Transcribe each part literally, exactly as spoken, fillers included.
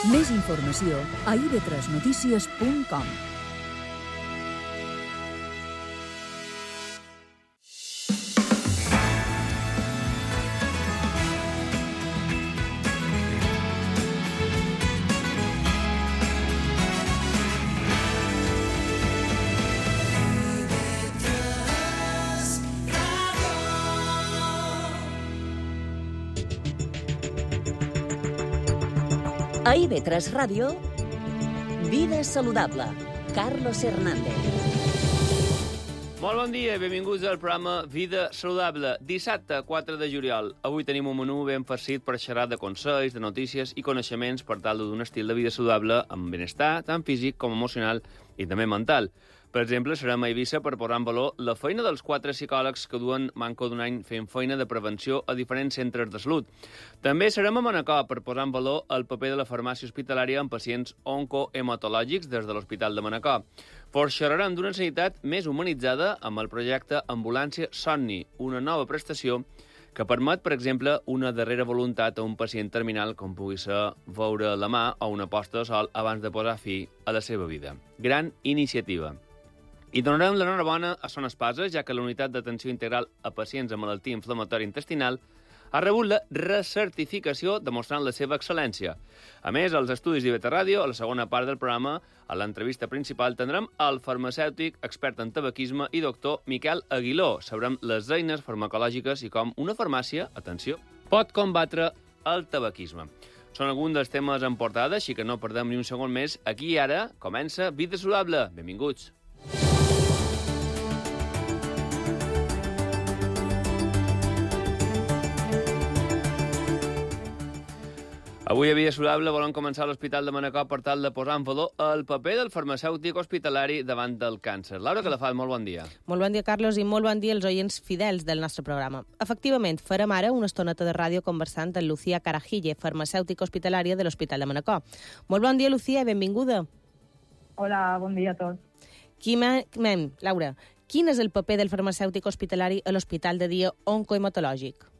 Més informació a i ve tres notícies punt com. A i ve tres Ràdio, Vida Saludable, Carlos Hernández. Molt bon dia i benvinguts al programa Vida Saludable. Dissabte, quatre de juliol. Avui tenim un menú ben farcit per xerrar de consells, de notícies i coneixements per tal d'un estil de vida saludable amb benestar, tant físic com emocional i també mental. Per exemple, serem a Eivissa per posar en valor la feina dels quatre psicòlegs que duen manco d'un any fent feina de prevenció a diferents centres de salut. També serem a Manacor per posar en valor el paper de la farmàcia hospitalària en pacients oncohematològics des de l'Hospital de Manacor. Xerrarem d'una sanitat més humanitzada amb el projecte Ambulància Somni, una nova prestació que permet, per exemple, una darrera voluntat a un pacient terminal com pugui ser veure la mà o una posta de sol abans de posar fi a la seva vida. Gran iniciativa. I donarem l'enhorabona a Son Espasa, ja que la unitat d'atenció integral a pacients amb malaltia inflamatòria intestinal ha rebut la recertificació demostrant la seva excel·lència. A més, als estudis d'I V T Ràdio, a la segona part del programa, a l'entrevista principal, tindrem el farmacèutic, expert en tabaquisme i doctor Miquel Aguiló. Sabrem les eines farmacològiques i com una farmàcia, atenció, pot combatre el tabaquisme. Són alguns dels temes en portada, així que no perdem ni un segon més. Aquí i ara comença Vida Saludable. Benvinguts. Avui a Vida Saludable volem començar a l'Hospital de Manacor per tal de posar en valor el paper del farmacèutic hospitalari davant del càncer. Laura Calafat, molt bon dia. Molt bon dia, Carlos, i molt bon dia als oients fidels del nostre programa. Efectivament, farem ara una estoneta de ràdio conversant amb Lucía Carajille, farmacèutica hospitalària de l'Hospital de Manacor. Molt bon dia, Lucía, i benvinguda. Hola, bon dia a tots. Quim, Laura, quin és el paper del farmacèutic hospitalari a l'Hospital de Dia Oncohematològic?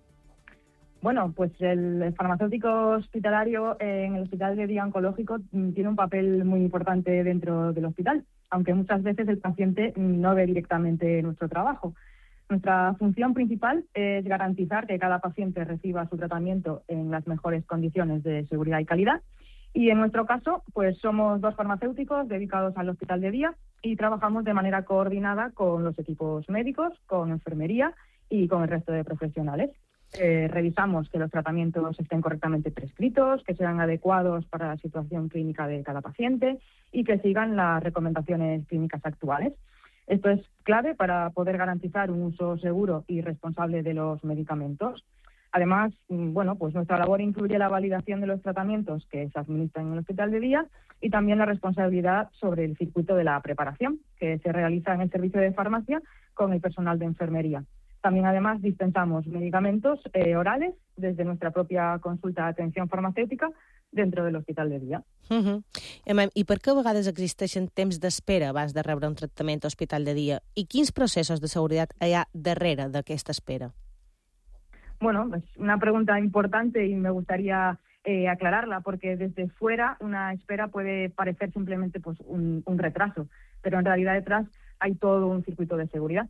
Bueno, pues el farmacéutico hospitalario en el Hospital de Día Oncológico tiene un papel muy importante dentro del hospital, aunque muchas veces el paciente no ve directamente nuestro trabajo. Nuestra función principal es garantizar que cada paciente reciba su tratamiento en las mejores condiciones de seguridad y calidad. Y en nuestro caso, pues somos dos farmacéuticos dedicados al Hospital de Día y trabajamos de manera coordinada con los equipos médicos, con enfermería y con el resto de profesionales. Eh, revisamos que los tratamientos estén correctamente prescritos, que sean adecuados para la situación clínica de cada paciente y que sigan las recomendaciones clínicas actuales. Esto es clave para poder garantizar un uso seguro y responsable de los medicamentos. Además, bueno, pues nuestra labor incluye la validación de los tratamientos que se administran en el Hospital de Día y también la responsabilidad sobre el circuito de la preparación, que se realiza en el servicio de farmacia con el personal de enfermería. También, además, dispensamos medicamentos eh, orales desde nuestra propia consulta de atención farmacèutica dentro del Hospital de Dia. Uh-huh. I per què a vegades existeixen temps d'espera abans de rebre un tractament a Hospital de Dia? I quins processos de seguretat hi ha darrere d'aquesta espera? Bueno, es una pregunta importante y me gustaría eh, aclararla, porque desde fuera una espera puede parecer simplemente pues, un, un retraso, pero en realidad detrás hay todo un circuito de seguridad.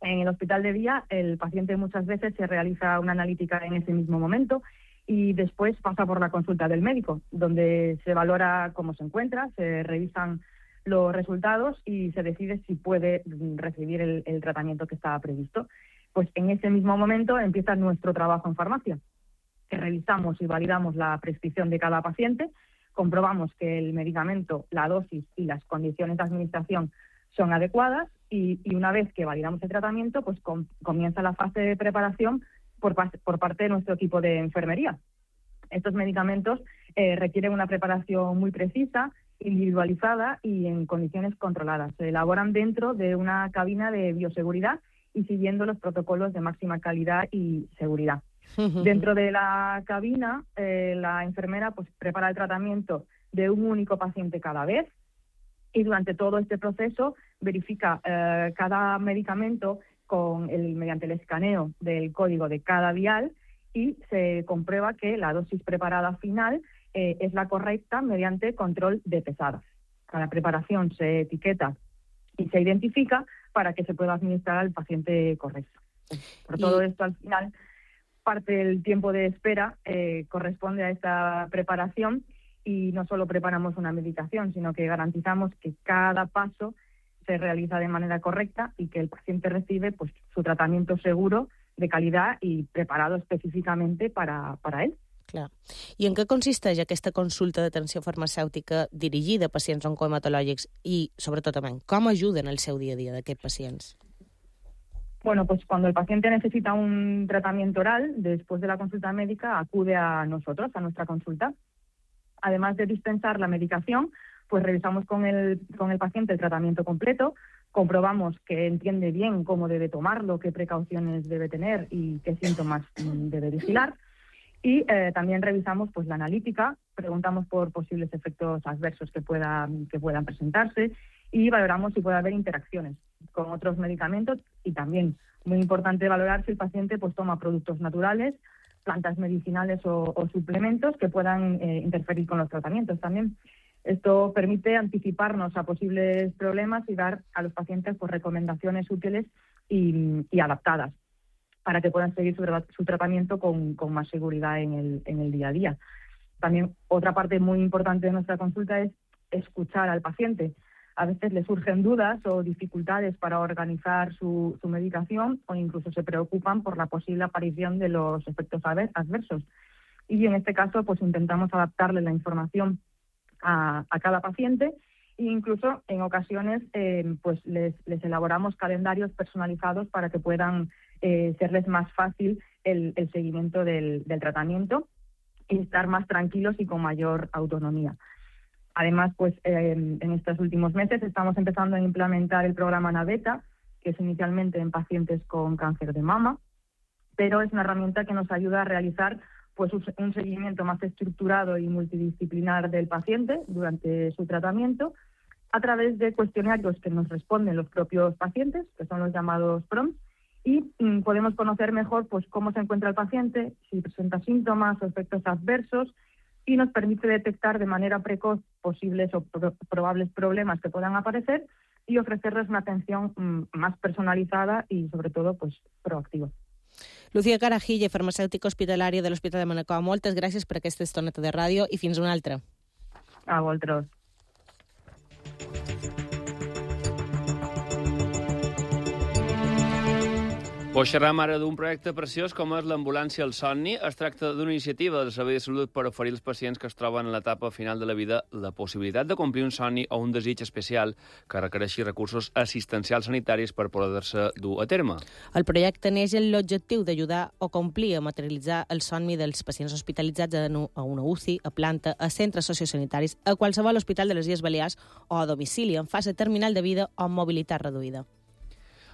En el Hospital de Día, el paciente muchas veces se realiza una analítica en ese mismo momento y después pasa por la consulta del médico, donde se valora cómo se encuentra, se revisan los resultados y se decide si puede recibir el, el tratamiento que estaba previsto. Pues en ese mismo momento empieza nuestro trabajo en farmacia, que revisamos y validamos la prescripción de cada paciente, comprobamos que el medicamento, la dosis y las condiciones de administración son adecuadas y, y una vez que validamos el tratamiento, pues com, comienza la fase de preparación por, por parte de nuestro equipo de enfermería. Estos medicamentos eh, requieren una preparación muy precisa, individualizada y en condiciones controladas. Se elaboran dentro de una cabina de bioseguridad y siguiendo los protocolos de máxima calidad y seguridad. Dentro de la cabina, eh, la enfermera pues prepara el tratamiento de un único paciente cada vez y durante todo este proceso verifica eh, cada medicamento con el, mediante el escaneo del código de cada vial y se comprueba que la dosis preparada final eh, es la correcta mediante control de pesadas. Cada preparación se etiqueta y se identifica para que se pueda administrar al paciente correcto. Por todo esto, al final, parte del tiempo de espera eh, corresponde a esta preparación y no solo preparamos una medicación, sino que garantizamos que cada paso se realiza de manera correcta y que el paciente recibe pues, su tratamiento seguro, de calidad i preparado específicamente para, para ell. Clar. I en què consisteix aquesta consulta d'atenció farmacèutica dirigida a pacients oncohematològics i, sobretot, també, com ajuden el seu dia a dia d'aquests pacients? Bueno, pues cuando el paciente necesita un tratamiento oral, después de la consulta médica, acude a nosotros, a nuestra consulta. Además de dispensar la medicación, pues revisamos con el, con el paciente el tratamiento completo, comprobamos que entiende bien cómo debe tomarlo, qué precauciones debe tener y qué síntomas debe vigilar. Y eh, también revisamos pues la analítica, preguntamos por posibles efectos adversos que puedan, que puedan presentarse y valoramos si puede haber interacciones con otros medicamentos y también, muy importante, valorar si el paciente pues toma productos naturales, plantas medicinales o, o suplementos que puedan eh, interferir con los tratamientos también. Esto permite anticiparnos a posibles problemas y dar a los pacientes pues, recomendaciones útiles y, y adaptadas para que puedan seguir su, su tratamiento con, con más seguridad en el, en el día a día. También otra parte muy importante de nuestra consulta es escuchar al paciente. A veces le surgen dudas o dificultades para organizar su, su medicación o incluso se preocupan por la posible aparición de los efectos adversos. Y en este caso pues intentamos adaptarle la información A, a cada paciente e incluso en ocasiones eh, pues les, les elaboramos calendarios personalizados para que puedan eh, serles más fácil el, el seguimiento del, del tratamiento y estar más tranquilos y con mayor autonomía. Además, pues eh, en estos últimos meses estamos empezando a implementar el programa Naveta, que es inicialmente en pacientes con cáncer de mama, pero es una herramienta que nos ayuda a realizar pues un seguimiento más estructurado y multidisciplinar del paciente durante su tratamiento a través de cuestionarios que nos responden los propios pacientes, que son los llamados prompts, y mm, podemos conocer mejor pues cómo se encuentra el paciente, si presenta síntomas o efectos adversos, y nos permite detectar de manera precoz posibles o pro probables problemas que puedan aparecer y ofrecerles una atención mm, más personalizada y, sobre todo, pues proactiva. Lucía Carajille, farmacèutica hospitalària de l'Hospital de Manacor, moltes gràcies per aquesta estoneta de ràdio i fins una altra. A vosaltres. Pues xerram ara d'un projecte preciós com és l'ambulància al somni. Es tracta d'una iniciativa del Servei de Salut per oferir als pacients que es troben en l'etapa final de la vida la possibilitat de complir un somni o un desig especial que requereixi recursos assistencials sanitaris per poder-se dur a terme. El projecte neix amb l'objectiu d'ajudar o complir a materialitzar el somni dels pacients hospitalitzats a una U C I, a planta, a centres sociosanitaris, a qualsevol hospital de les Illes Balears o a domicili en fase terminal de vida o amb mobilitat reduïda.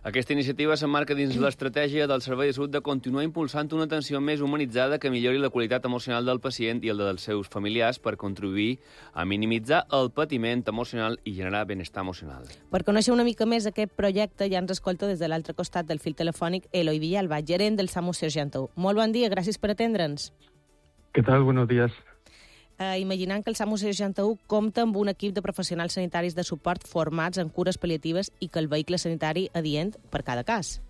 Aquesta iniciativa s'emmarca dins l'estratègia del Servei de Salut de continuar impulsant una atenció més humanitzada que millori la qualitat emocional del pacient i el dels seus familiars per contribuir a minimitzar el patiment emocional i generar benestar emocional. Per conèixer una mica més aquest projecte ja ens escolta des de l'altre costat del fil telefònic Eloi Villalba, gerent del SAMU seixanta u. Molt bon dia, gràcies per atendre'ns. ¿Qué tal? Buenos días. Eh, imaginant que el SAMU seixanta u compta amb un equip de professionals sanitaris de suport formats en cures paliatives i que el vehicle sanitari adient per cada cas.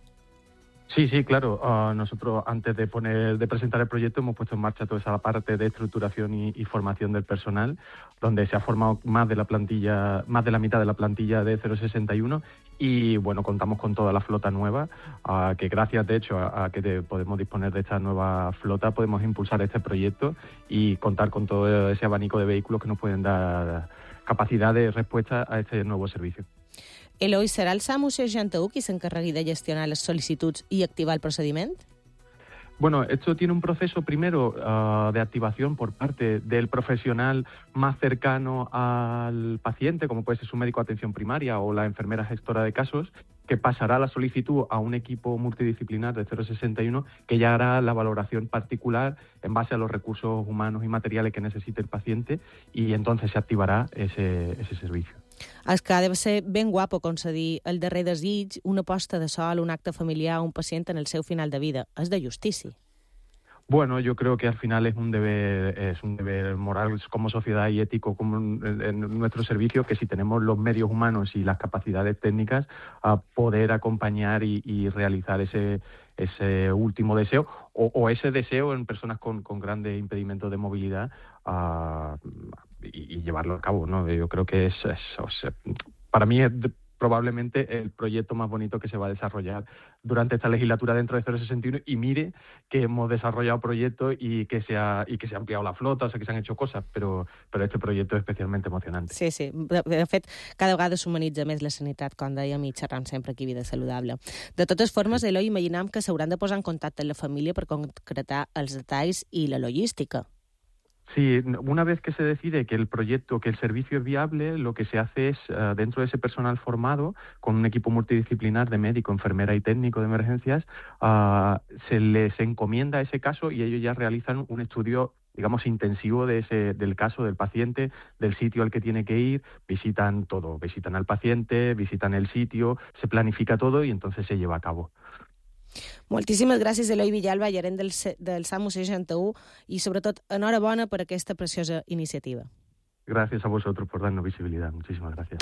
Sí, sí, claro. Uh, nosotros, antes de poner, de presentar el proyecto, hemos puesto en marcha toda esa parte de estructuración y, y formación del personal, donde se ha formado más de la plantilla, más de la mitad de la plantilla de cero sesenta y uno, y bueno, contamos con toda la flota nueva, uh, que gracias, de hecho, a, a que te, podemos disponer de esta nueva flota, podemos impulsar este proyecto y contar con todo ese abanico de vehículos que nos pueden dar capacidad de respuesta a este nuevo servicio. Eloi, serà el SAMU seixanta u qui s'encarregui de gestionar les sol·licituds i activar el procediment? Bueno, esto tiene un proceso primero uh, de activación por parte del profesional más cercano al paciente, como puede ser su médico de atención primaria o la enfermera gestora de casos, que pasará la solicitud a un equipo multidisciplinar de cero sesenta y uno que ya hará la valoración particular en base a los recursos humanos y materiales que necesite el paciente y entonces se activará ese, ese servicio. És que ha de ser ben guapo concedir el darrer desig, una posta de sol, un acte familiar a un pacient en el seu final de vida. És de justícia. Bueno, yo creo que al final es un deber, es un deber moral como sociedad y ético como en, en nuestro servicio, que si tenemos los medios humanos y las capacidades técnicas, a poder acompañar y, y realizar ese ese último deseo o, o ese deseo en personas con, con grandes impedimentos de movilidad uh, y, y llevarlo a cabo, ¿no? Yo creo que es, es o sea, para mí es probablemente el proyecto más bonito que se va a desarrollar durante esta legislatura dentro de cero sesenta y uno, y mire que hemos desarrollado proyectos y que se ha, y que se ha ampliado la flota, o sea que se han hecho cosas, però, però este proyecto es especialmente emocionante. Sí, sí. De, de fet, cada vegada s'humanitza més la sanitat, com dèiem, i xerram sempre aquí a Vida Saludable. De totes formes, sí. Eloi, imaginam que s'hauran de posar en contacte amb la família per concretar els detalls i la logística. Sí, una vez que se decide que el proyecto, que el servicio es viable, lo que se hace es, uh, dentro de ese personal formado, con un equipo multidisciplinar de médico, enfermera y técnico de emergencias, uh, se les encomienda ese caso y ellos ya realizan un estudio, digamos, intensivo de ese, del caso del paciente, del sitio al que tiene que ir, visitan todo, visitan al paciente, visitan el sitio, se planifica todo y entonces se lleva a cabo. Moltíssimes gràcies, Eloi Villalba, gerent del, del SAMU seixanta u, i sobretot enhorabona per aquesta preciosa iniciativa. Gracias a vosotros por darnos visibilidad. Muchísimas gracias.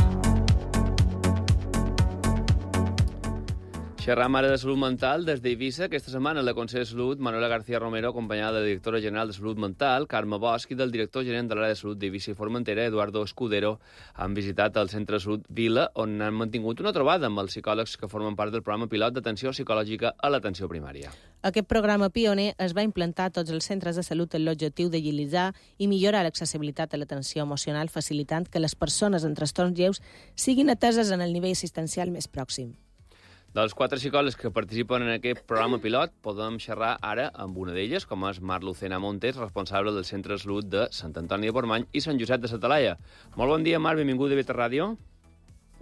Xerram ara de salut mental des d'Eivissa. Aquesta setmana la consellera de Salut, Manuela García Romero, acompanyada de la directora general de Salut Mental, Carme Bosch, i del director gerent de l'àrea de salut d'Eivissa i Formentera, Eduardo Escudero, han visitat el Centre de Salut Vila, on han mantingut una trobada amb els psicòlegs que formen part del programa pilot d'atenció psicològica a l'atenció primària. Aquest programa pioner es va implantar a tots els centres de salut amb l'objectiu d'agilitzar i millorar l'accessibilitat a l'atenció emocional, facilitant que les persones amb trastorns lleus siguin ateses en el nivell assistencial més pròxim. Dels quatre psicòlegs que participen en aquest programa pilot, podem xerrar ara amb una d'elles, com és Mar Lucena Montes, responsable del Centre de Salut de Sant Antoni de Portmany i Sant Josep de sa Talaia. Molt bon dia, Mar, benvinguda a Beta Ràdio.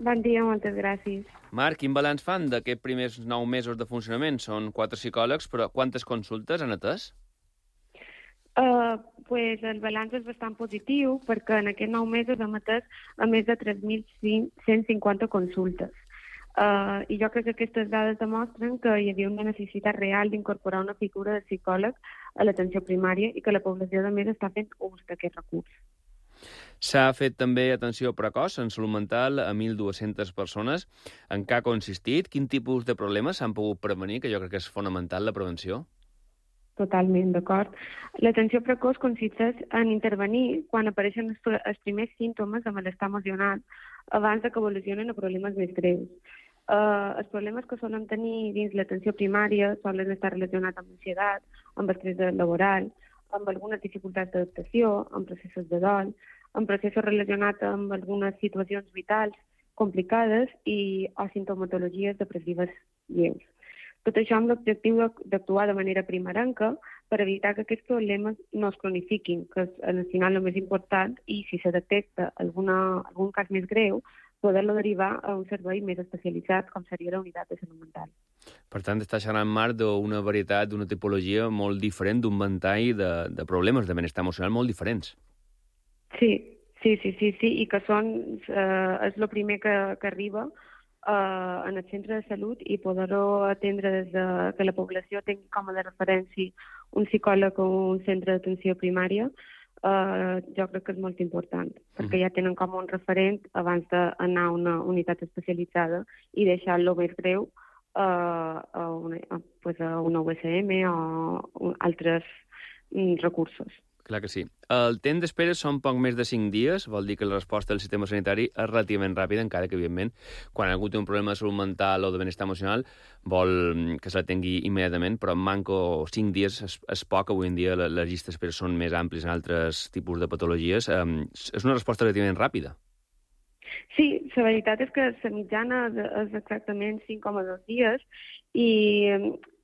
Bon dia, moltes gràcies. Mar, quin balanç fan d'aquests primers nou mesos de funcionament? Són quatre psicòlegs, però quantes consultes han atès? Uh, pues el balanç és bastant positiu, perquè en aquests nou mesos hem atès a més de tres mil cent cinquanta consultes. Uh, I jo crec que aquestes dades demostren que hi havia una necessitat real d'incorporar una figura de psicòleg a l'atenció primària i que la població, a més, està fent ús d'aquest recurs. S'ha fet també atenció precoç en salut mental a mil dues-centes persones. En què ha consistit? Quin tipus de problemes s'han pogut prevenir? Que jo crec que és fonamental la prevenció. Totalment, d'acord. L'atenció precoç consisteix en intervenir quan apareixen els primers símptomes de malestar emocional abans que evolucionen a problemes més greus. Uh, els problemes que solen tenir dins l'atenció primària solen estar relacionats amb ansietat, amb estrès laboral, amb algunes dificultats d'adaptació, amb processos de dol, amb processos relacionats amb algunes situacions vitals complicades i o sintomatologies depressives lleus. Tot això amb l'objectiu d'actuar de manera primerenca per evitar que aquests problemes no es cronifiquin, que és al final el més important, i si se detecta alguna, algun cas més greu, poder-lo derivar a un servei més especialitzat, com seria la unitat de salut mental. Per tant, està xerrant, Marc, d'una varietat, d'una tipologia molt diferent, d'un ventall de, de problemes de benestar emocional molt diferents. Sí, sí, sí, sí, sí, i que són, eh, és el primer que, que arriba Uh, en el centre de salut i poder-ho atendre des de que la població tingui com a de referència un psicòleg o un centre d'atenció primària, uh, jo crec que és molt important, perquè mm. ja tenen com un referent abans d'anar a una unitat especialitzada i deixar-lo més greu uh, a, una, a, pues a una U S M o altres um, recursos. Clar que sí. El temps d'espera són poc més de cinc dies, vol dir que la resposta del sistema sanitari és relativament ràpida, encara que, evidentment, quan algú té un problema de salut mental o de benestar emocional, vol que se l'atengui immediatament, però en manco cinc dies és, és poc. Avui en dia les llistes d'espera són més àmplies en altres tipus de patologies. Um, és una resposta relativament ràpida. Sí, la veritat és que la mitjana és exactament cinc coma dos dies i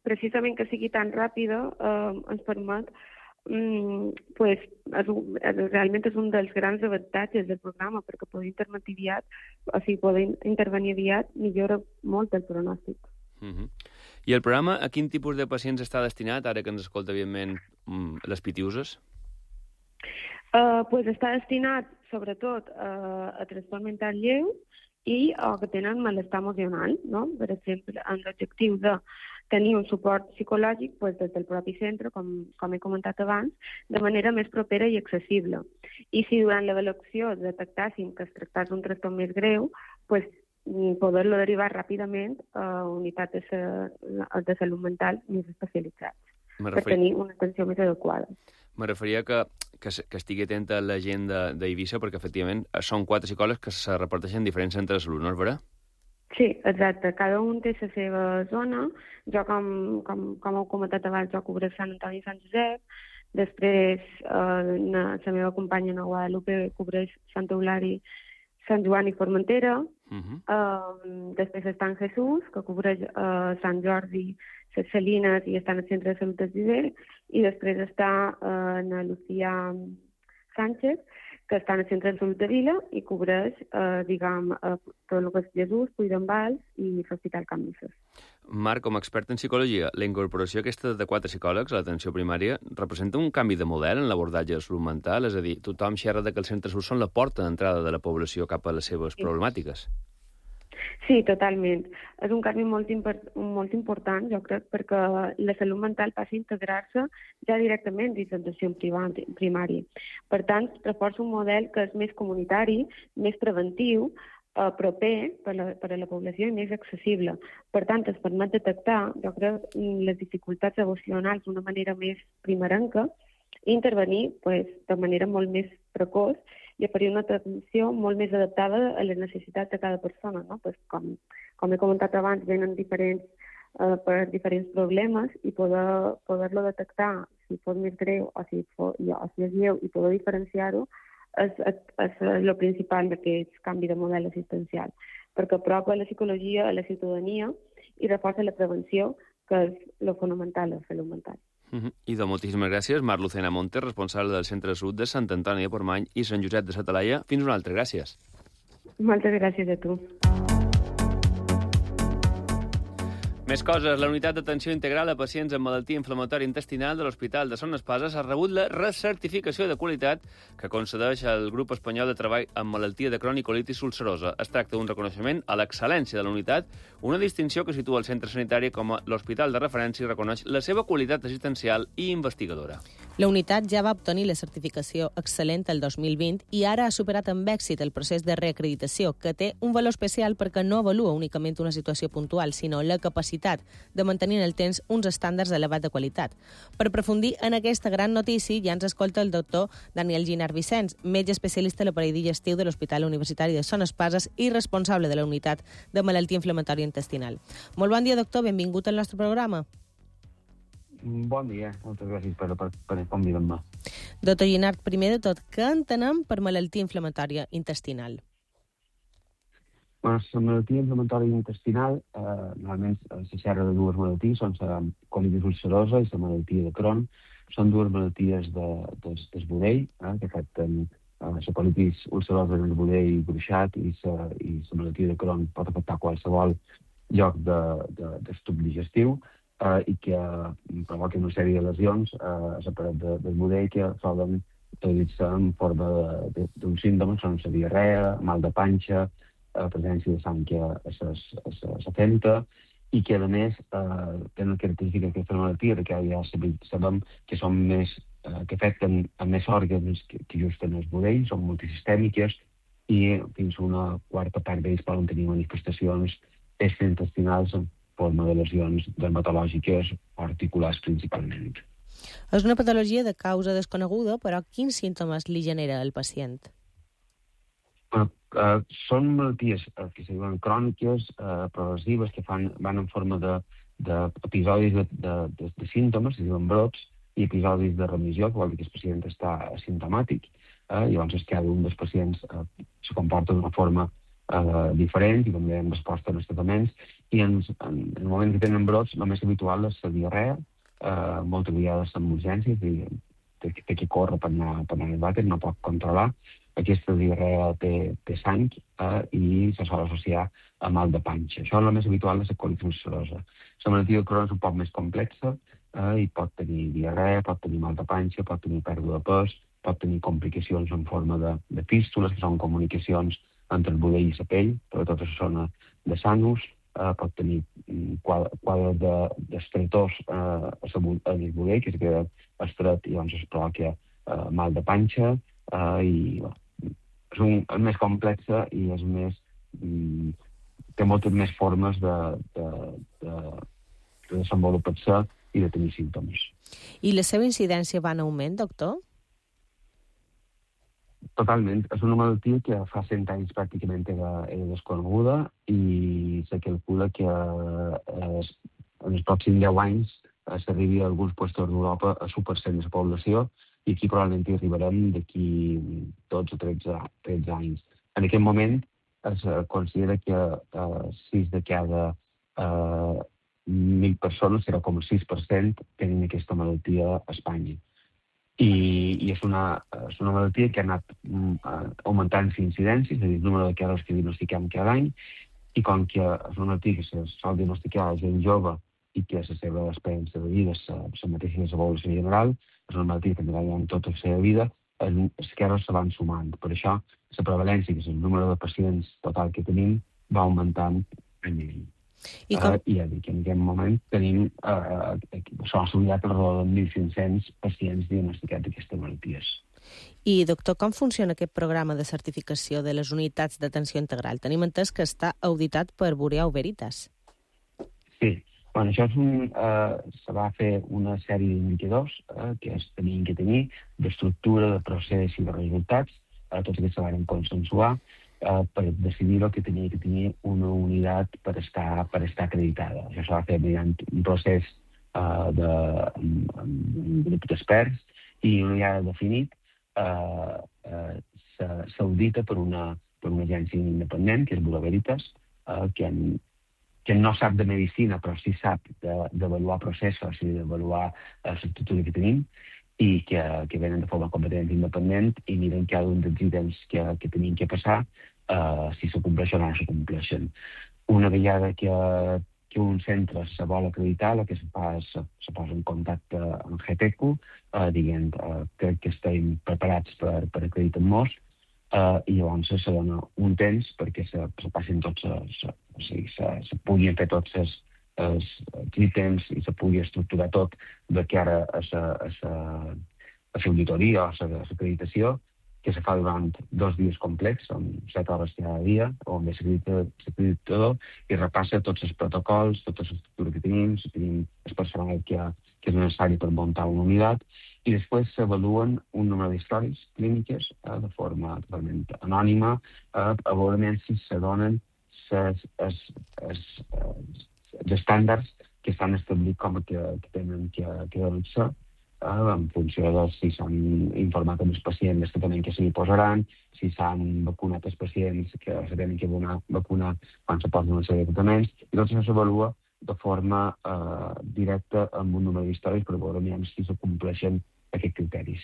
precisament que sigui tan ràpida eh, ens permet Mm, pues, és, realment és un dels grans avantatges del programa, perquè poder intervenir aviat, o sigui, poder intervenir aviat millora molt el pronòstic. Uh-huh. I el programa a quin tipus de pacients està destinat, ara que ens escolta, evidentment, les pitiuses? Uh, pues està destinat, sobretot, uh, a trastorn mental lleu i o que tenen malestar emocional, no? Per exemple, amb l'objectiu de tenir un suport psicològic pues, des del propi centre, com, com he comentat abans, de manera més propera i accessible. I si durant l'avaluació detectàssim que es tractés d'un trastorn més greu, pues, poder-lo derivar ràpidament a unitats de, de salut mental més especialitzats, per tenir una atenció més adequada. Me referia que, que, que estigui atenta a la gent d'Eivissa, perquè, efectivament, són quatre psicòlegs que se reparteixen en diferents centres de salut, no és vera? Sí, exacte. Cada un té la seva zona. Jo, com, com, com heu comentat abans, jo cobreix Sant Antoni i Sant Josep. Després, eh, la meva companya, na Guadalupe, cobreix Sant Eulari, Sant Joan i Formentera. Uh -huh. uh, després està en Jesús, que cobreix uh, Sant Jordi, les Salines i està en el Centre de Salut del Viver. I després està uh, na Lucía Sánchez, que està en el Centre de Salut de Vila i cobreix, eh, diguem, eh, tot el que és Jesús, Puigdembals i l'Hospital Can Misses. Marc, com a expert en psicologia, la incorporació aquesta de quatre psicòlegs a l'atenció primària representa un canvi de model en l'abordatge de salut mental? És a dir, tothom xerra que els centres són la porta d'entrada de la població cap a les seves sí. problemàtiques. Sí, totalment. És un canvi molt, molt important, jo crec, perquè la salut mental passa a integrar-se ja directament dins l'atenció primària. Per tant, reforça un model que és més comunitari, més preventiu, eh, proper per, la, per a la població i més accessible. Per tant, es permet detectar, jo crec, les dificultats emocionals d'una manera més primerenca i intervenir pues, de manera molt més precoç i oferir una atenció molt més adaptada a les necessitats de cada persona. No? Pues com, com he comentat abans, venen diferents, eh, per diferents problemes i poder, poder-lo detectar si fos més greu o si, fos, o si és lleu i poder diferenciar-ho és, és, és el principal d'aquest canvi de model assistencial, perquè apropa la psicologia a la ciutadania i reforça la prevenció, que és el fonamental de la salut mental. Uh -huh. I de moltíssimes gràcies, Mar Lucena Montes, responsable del Centre de Salut de Sant Antoni de Portmany i Sant Josep de sa Talaia. Fins una altra, gràcies. Moltes gràcies a tu. Més coses. La unitat d'atenció integral a pacients amb malaltia inflamatòria intestinal de l'Hospital de Son Espases ha rebut la recertificació de qualitat que concedeix el Grup Espanyol de Treball amb Malaltia de Crohn i Colitis ulcerosa. Es tracta d'un reconeixement a l'excel·lència de la unitat, una distinció que situa el centre sanitari com a l'hospital de referència i reconeix la seva qualitat assistencial i investigadora. La unitat ja va obtenir la certificació excel·lent el dos mil vint i ara ha superat amb èxit el procés de reacreditació, que té un valor especial perquè no avalua únicament una situació puntual, sinó la capacitat de mantenir en el temps uns estàndards elevat de qualitat. Per aprofundir en aquesta gran notícia, ja ens escolta el doctor Daniel Ginard Vicens, metge especialista a l'aparell digestiu de l'Hospital Universitari de Son Espases i responsable de la unitat de malaltia inflamatòria intestinal. Molt bon dia, doctor, benvingut al nostre programa. Bon dia, moltes gràcies per, per, per convidar-me. Doctor Ginard, primer de tot, què entenem per malaltia inflamatòria intestinal? Bueno, la malaltia inflamatòria intestinal, eh, normalment se xerra de dues malalties, són la colitis ulcerosa i la malaltia de Crohn. Són dues malalties de, de, del budell, eh, que afecten eh, la colitis ulcerosa en el budell gruixat i la i la malaltia de Crohn pot afectar qualsevol lloc de, de, d'estuc digestiu eh, i que eh, provoquen una sèrie de lesions eh, a la paret de, del budell que solen traduir-se en forma d'un símptoma, són la diarrea, mal de panxa, a presència de sang a la femta i que, a més, eh, tenen la característica d'aquesta malaltia que ja sabem que són més, eh, que afecten a més òrgans que, que just en el budell, són multisistèmiques i fins a una quarta part d'ells poden tenir manifestacions extraintestinals en forma de lesions dermatològiques o articulars principalment. És una patologia de causa desconeguda, però quins símptomes li genera al pacient? Bueno, Uh, són malalties uh, que se diuen cròniques, uh, progressives, que fan, van en forma d'episodis de, de, de, de, de símptomes, se diuen brots, i episodis de remissió, que vol dir que el pacient està asimptomàtic, uh, i llavors cada un dels pacients uh, se comporta d'una forma uh, diferent i també en resposta als tractaments, i en, en, en el moment que tenen brots, el més habitual és la diarrea, uh, moltes vegades amb urgències, i té, té que córrer per anar, per anar al vàter, no pot controlar. Aquesta diarrea té, té sang eh, i se sol associar a mal de panxa. Això és el més habitual de la colitis ulcerosa. La malaltia de Crohn és un poc més complexa eh, i pot tenir diarrea, pot tenir mal de panxa, pot tenir pèrdua de pes, pot tenir complicacions en forma de, de fístules, que són comunicacions entre el budell i la pell, per tota la zona de l'anus, eh, pot tenir quadres d'estretors de, eh, en el budell, que es queda estret i llavors es provoca eh, mal de panxa, eh, i bueno, és, un, és més complexa i és més, mm, té moltes més formes de, de, de, de desenvolupar-se i de tenir símptomes. I la seva incidència va en augment, doctor? Totalment. És una malaltia que fa cent anys pràcticament era, era desconeguda i se calcula que eh, en els pròxims deu anys eh, s'arribi a alguns llocs d'Europa a l'u per cent de la població i aquí probablement hi arribarem d'aquí dotze o tretze anys. En aquest moment es considera que eh, sis de cada eh, mil persones, zero coma sis per cent, tenen aquesta malaltia a Espanya. I, i és, una, és una malaltia que ha anat uh, augmentant la incidència, és a dir, el número de casos que diagnostiquem cada any, i com que és una malaltia que se sol diagnosticar a gent jove i que la seva experiència de vida és la mateixa que la població general, és una malaltia que també en tota la seva vida, els casos se van sumant. Per això, la prevalència, que és el número de pacients total que tenim, va augmentant any a any. I, com... uh, I ja dic, en aquest moment tenim, uh, s'ha estudiat alrededor de mil cinc-cents pacients diagnosticats d'aquestes malalties. I, doctor, com funciona aquest programa de certificació de les unitats d'atenció integral? Tenim entès que està auditat per Bureau Veritas. Sí, bueno, això és un, uh, se va fer una sèrie d'indicadors uh, que es tenien que tenir, d'estructura, de procés i de resultats, uh, tots aquests se van consensuar, Uh, per decidir el que tenia que tenir una unitat per estar, per estar acreditada. Això s'ha de fer mediante un procés uh, de un, un grup d'experts i una vegada definit uh, uh, s'audita per una, per una agència independent, que és Bureau Veritas, uh, que, en, que no sap de medicina, però sí sap d'avaluar de, processos i d'avaluar uh, l'estructura que tenim, i que, que venen de forma completament independent i miren cada un dels ítems que, que tenien que passar, uh, si se compleixen o no se compleixen. Una vegada que, que un centre se vol acreditar, el que se fa és se, se posa en contacte amb GEPECO, uh, dient uh, crec que estem preparats per, per acreditar-nos, uh, i llavors se dona un temps perquè se, se passin tots, se, o sigui, se, se puguin fer tots els els ítems i se pugui estructurar tot de cara a l'auditoria o a l'acreditació, que se fa durant dos dies complets, amb set hores cada dia, on ve l'acreditador i repassa tots els protocols, tota l'estructura que tenim, si tenim el personal que, que és necessari per muntar una unitat, i després s'avaluen un número d'històries clíniques eh, de forma totalment anònima, eh, a veure si se donen els els estàndards que estan establits com que, que tenen que, que donar-se eh, en funció de si s'han informat amb els pacients dels tractaments que s'hi posaran, si s'han vacunat els pacients que se tenen que vacunar quan se posen una sèrie de tractaments, i tot això s'avalua de forma eh, directa amb un número d'històries per veure si se compleixen aquests criteris.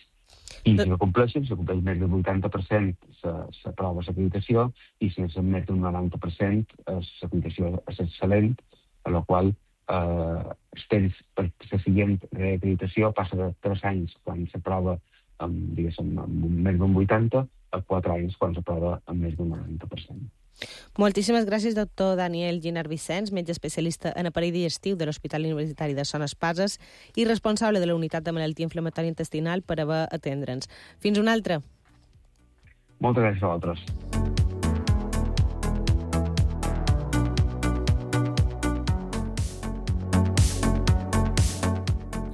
I si no compleixen, si compleix més del vuitanta per cent s'aprova l'acreditació i si és més del noranta per cent l'acreditació és excel·lent, a la qual eh, els temps per la següent reacreditació passa de tres anys quan s'aprova amb, diguéssim, amb més d'un vuitanta a quatre anys quan s'aprova amb més d'un noranta per cent. Moltíssimes gràcies, doctor Daniel Giner Vicens, metge especialista en aparell digestiu de l'Hospital Universitari de Son Espases i responsable de la unitat de malaltia inflamatòria intestinal, per haver atendre'ns. Fins una altra. Moltes gràcies a vosaltres.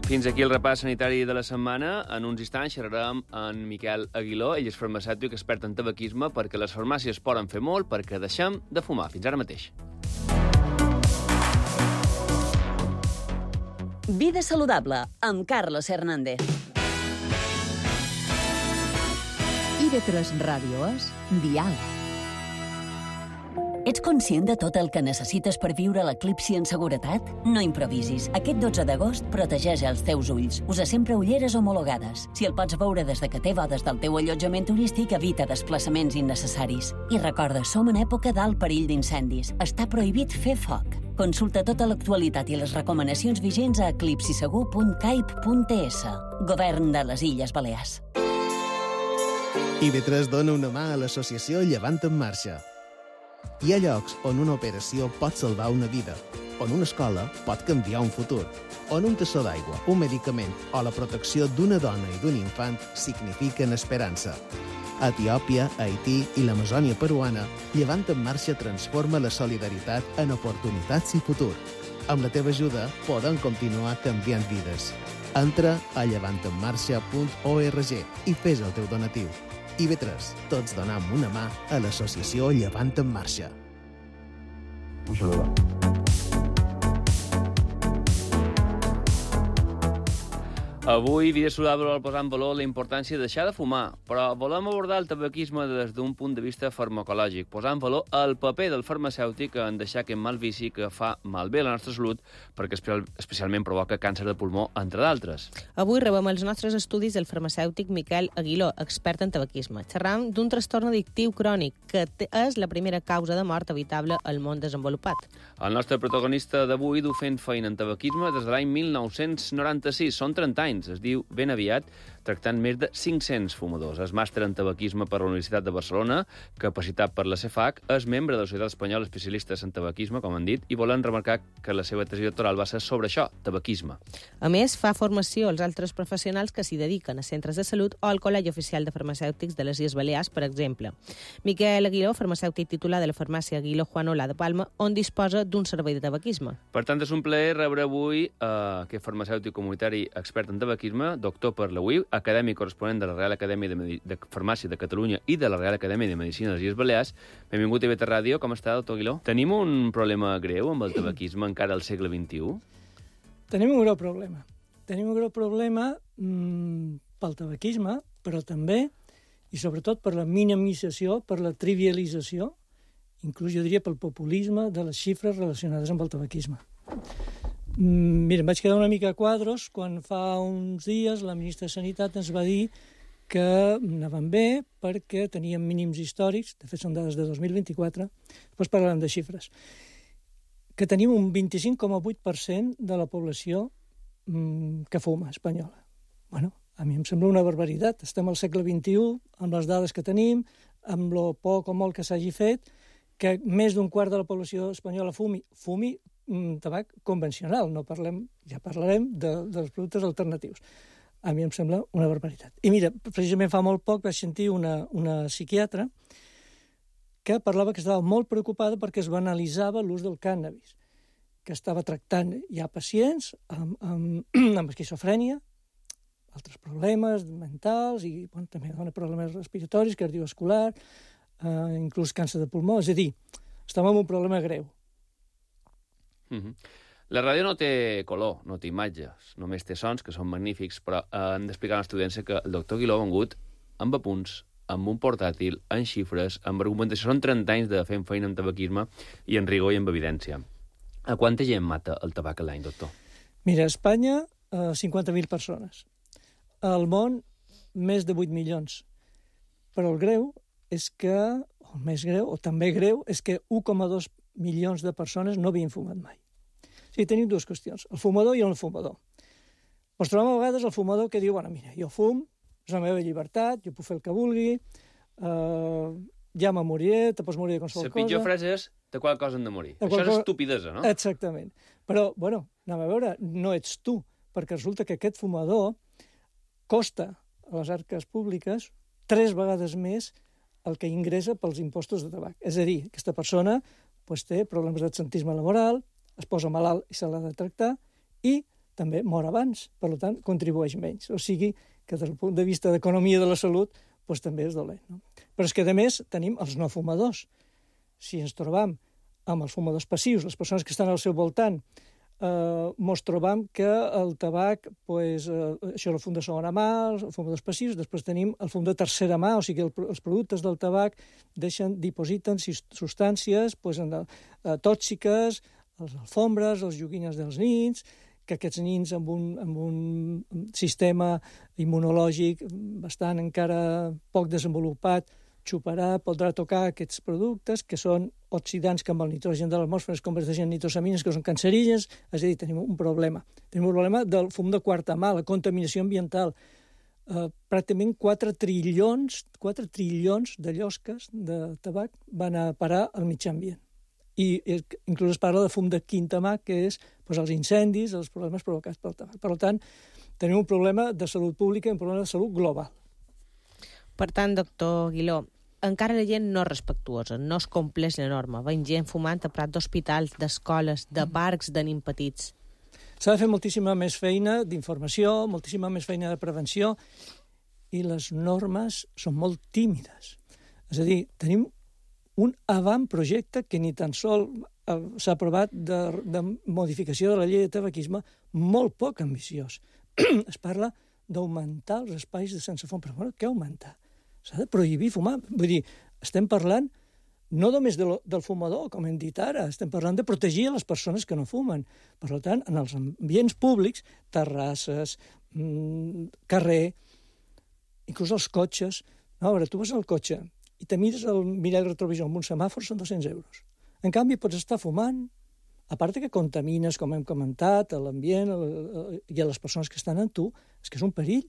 Fins aquí el repàs sanitari de la setmana. En uns instants xerrarem amb Miquel Aguiló, ell és farmacèutic expert en tabaquisme, perquè les farmàcies poden fer molt perquè deixem de fumar. Fins ara mateix. Vida saludable, amb Carlos Hernández. I de tres ràdio és Dial. Ets conscient de tot el que necessites per viure l'eclipsi en seguretat? No improvisis. Aquest dotze d'agost protegeix els teus ulls. Usa sempre ulleres homologades. Si el pots veure des de que té bodes del teu allotjament turístic, evita desplaçaments innecessaris. I recorda, som en època d'alt perill d'incendis. Està prohibit fer foc. Consulta tota l'actualitat i les recomanacions vigents a eclipsisegur punt caip punt es. Govern de les Illes Balears. I B tres dona una mà a l'associació Llevant en Marxa. Hi ha llocs on una operació pot salvar una vida, on una escola pot canviar un futur, on un tassó d'aigua, un medicament o la protecció d'una dona i d'un infant signifiquen esperança. A Etiòpia, Haití i l'Amazònia peruana, Llevant en Marxa transforma la solidaritat en oportunitats i futur. Amb la teva ajuda podem continuar canviant vides. Entra a llevant en marxa punt org i fes el teu donatiu. I B tres, tots donam una mà a l'associació Llevant en Marxa. Un saludo. Avui, Vida Saludable vol posar en valor la importància de deixar de fumar, però volem abordar el tabaquisme des d'un punt de vista farmacològic, posar en valor el paper del farmacèutic en deixar aquest mal vici que fa malbé la nostra salut, perquè especialment provoca càncer de pulmó, entre d'altres. Avui rebem els nostres estudis del farmacèutic Miquel Aguiló, expert en tabaquisme. Xerram d'un trastorn addictiu crònic, que és la primera causa de mort evitable al món desenvolupat. El nostre protagonista d'avui du fent feina en tabaquisme des de l'any mil nou-cents noranta-sis. Són trenta anys. Es diu Ben Aviat, tractant més de cinc-cents fumadors. És màster en tabaquisme per la Universitat de Barcelona, capacitat per la CEFAC, és membre de la Societat Espanyola Especialistes en Tabaquisme, com han dit, i volen remarcar que la seva tesi doctoral va ser sobre això, tabaquisme. A més, fa formació als altres professionals que s'hi dediquen a centres de salut o al Col·legi Oficial de Farmacèutics de les Illes Balears, per exemple. Miquel Aguiló, farmacèutic titular de la farmàcia Aguiló Juan Olà de Palma, on disposa d'un servei de tabaquisme. Per tant, és un plaer rebre avui eh, aquest farmacèutic comunitari expert en tabaquisme, doctor per la U I, acadèmic corresponent de la Real Acadèmia de, Medi de Farmàcia de Catalunya i de la Real Acadèmia de Medicina de les Illes Balears. Benvingut a I B tres Ràdio. Com està, doctor Aguiló? Tenim un problema greu amb el tabaquisme encara al segle vint-i-u? Tenim un greu problema. Tenim un greu problema mmm, pel tabaquisme, però també, i sobretot per la minimització, per la trivialització, inclús jo diria pel populisme de les xifres relacionades amb el tabaquisme. Mira, em vaig quedar una mica a quadros quan fa uns dies la ministra de Sanitat ens va dir que anàvem bé perquè teníem mínims històrics, de fet són dades de dos mil vint-i-quatre, després parlarem de xifres, que tenim un vint-i-cinc coma vuit per cent de la població mmm, que fuma espanyola. Bueno, a mi em sembla una barbaritat. Estem al segle vint-i-u, amb les dades que tenim, amb lo poc o molt que s'hagi fet, que més d'un quart de la població espanyola fumi, fumi tabac convencional, no parlem, ja parlarem de, dels productes alternatius. A mi em sembla una barbaritat. I mira, precisament fa molt poc vaig sentir una, una psiquiatra que parlava que estava molt preocupada perquè es banalitzava l'ús del cànnabis, que estava tractant ja pacients amb, amb, amb esquizofrènia, altres problemes mentals i bueno, també dona problemes respiratoris, cardiovascular, eh, inclús càncer de pulmó. És a dir, estem en un problema greu. Uh-huh. La ràdio no té color, no té imatges, només té sons, que són magnífics, però eh, hem d'explicar a l'estudiància que el doctor Aguiló ha vengut amb apunts, amb un portàtil, en xifres, amb argumentació. Són trenta anys de fent feina en tabaquisme i en rigor i en evidència. A quanta gent mata el tabac a l'any, doctor? Mira, a Espanya, eh, cinquanta mil persones. Al món, més de vuit milions. Però el greu és que, o el més greu, o també greu, és que un coma dos milions de persones no havien fumat mai. O sigui, tenim dues qüestions, el fumador i el no fumador. Ens trobem a vegades el fumador que diu, bueno, mira, jo fum, és la meva llibertat, jo puc fer el que vulgui, eh, ja me moriré, te pots morir de qualsevol cosa. La pitjor frase és de qual cosa hem de morir. Això és estupidesa, no? Exactament. Però, bueno, anem a veure, no ets tu, perquè resulta que aquest fumador costa a les arques públiques tres vegades més el que ingressa pels impostos de tabac. És a dir, aquesta persona pues, té problemes d'absentisme laboral, es posa malalt i se l'ha de tractar, i també mor abans, per tant, contribueix menys. O sigui, que des del punt de vista d'economia de la salut, pues, també és dolent. No? Però és que, a més, tenim els no fumadors. Si ens trobam amb els fumadors passius, les persones que estan al seu voltant, eh, mos trobam que el tabac, pues, eh, això és el fum de segona mà, els fumadors passius, després tenim el fum de tercera mà, o sigui, el, els productes del tabac deixen, dipositen substàncies pues, en, eh, tòxiques, les alfombres, les joguines dels nins, que aquests nins amb un, amb un sistema immunològic bastant encara poc desenvolupat xuparà, podrà tocar aquests productes que són oxidants que amb el nitrogen de l'atmosfera es converteixen en nitrosamines que són cancerígens, és a dir, tenim un problema. Tenim un problema del fum de quarta mà, la contaminació ambiental. eh, pràcticament quatre trilions, quatre trilions de llosques de tabac van a parar al mitjà ambient. I inclús es parla de fum de quintamak, que és doncs, els incendis, els problemes provocats pel tabac. Per tant, tenim un problema de salut pública i un problema de salut global. Per tant, doctor Guiló, encara la gent no és respectuosa, no es compleix la norma. Veiem gent fumant a prat d'hospitals, d'escoles, de parcs de nens petits. S'ha de fer moltíssima més feina d'informació, moltíssima més feina de prevenció, i les normes són molt tímides. És a dir, tenim un avantprojecte que ni tan sol s'ha aprovat de, de modificació de la llei de tabaquisme molt poc ambiciós. Es parla d'augmentar els espais de sense fum. Però bueno, què augmentar? S'ha de prohibir fumar. Vull dir, estem parlant no només de lo, del fumador, com hem dit ara, estem parlant de protegir a les persones que no fumen. Per tant, en els ambients públics, terrasses, mmm, carrer, inclús els cotxes. No, a veure, tu vas al cotxe i te mires el mirall retrovisor amb un semàfor, són dos-cents euros. En canvi, pots estar fumant, a part que contamines, com hem comentat, a l'ambient i a les persones que estan amb tu, és que és un perill.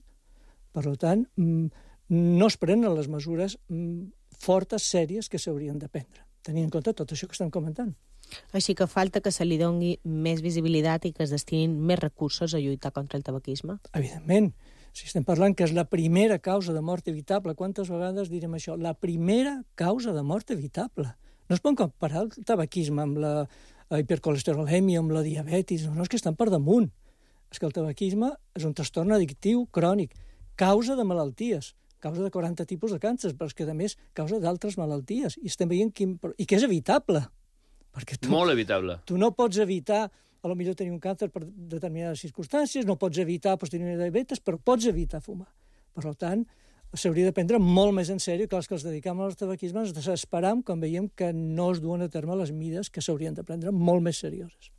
Per tant, no es prenen les mesures fortes, sèries, que s'haurien de prendre, tenint en compte tot això que estem comentant. Així que falta que se li doni més visibilitat i que es destinin més recursos a lluitar contra el tabaquisme? Evidentment. Si estem parlant que és la primera causa de mort evitable, quantes vegades direm això? La primera causa de mort evitable. No es pot comparar el tabaquisme amb la hipercolesterolèmia, amb la diabetis, no, no, és que estan per damunt. És que el tabaquisme és un trastorn addictiu crònic, causa de malalties, causa de quaranta tipus de càncers, però és que, a més, causa d'altres malalties. I estem veient quin... i que és evitable. Perquè tu, Molt evitable. Tu no pots evitar, a lo millor tenir un càncer per determinades circumstàncies, no pots evitar pues, tenir una diabetes, però pots evitar fumar. Per tant, s'hauria de prendre molt més en sèrio que els que els dedicam al tabaquisme ens desesperam quan veiem que no es duen a terme les mides que s'haurien de prendre molt més serioses.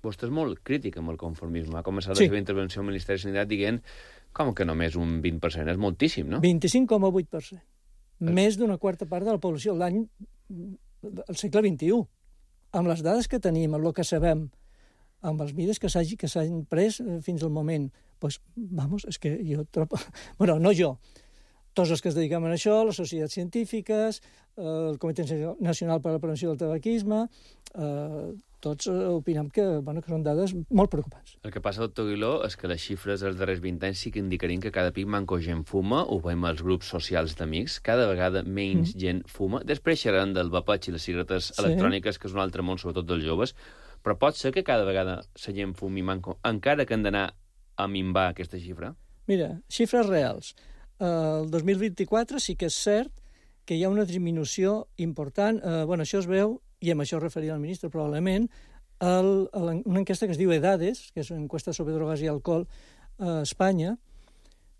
Vostè és molt crític amb el conformisme. Ha començat Sí. la seva intervenció al Ministeri de Sanitat dient com que només un vint per cent, és moltíssim, no? vint-i-cinc coma vuit per cent. Més d'una quarta part de la població l'any del segle vint-i-u. Amb les dades que tenim, amb el que sabem, amb els mides que s'hagi que s'han pres fins al moment, pues, vamos, és que jo trobo... Bueno, no jo, tots els que es dediquem a això, les societats científiques, el Comitè Nacional per a la Prevenció del Tabaquisme, eh, tots opinem que, bueno, que són dades molt preocupants. El que passa, doctor Guiló, és que les xifres dels darrers vint anys sí que indicarien que cada pic manco gent fuma, ho veiem als grups socials d'amics, cada vegada menys mm. gent fuma. Després xerran del vapeig i les cigaretes sí. electròniques, que és un altre món, sobretot dels joves, però pot ser que cada vegada la gent fumi manco, encara que han d'anar a minvar aquesta xifra? Mira, xifres reals. El dos mil vint-i-quatre sí que és cert que hi ha una disminució important. Eh, bueno, això es veu, i amb això es referia al ministre probablement, el, el, una enquesta que es diu EDADES, que és una enquesta sobre drogues i alcohol a Espanya,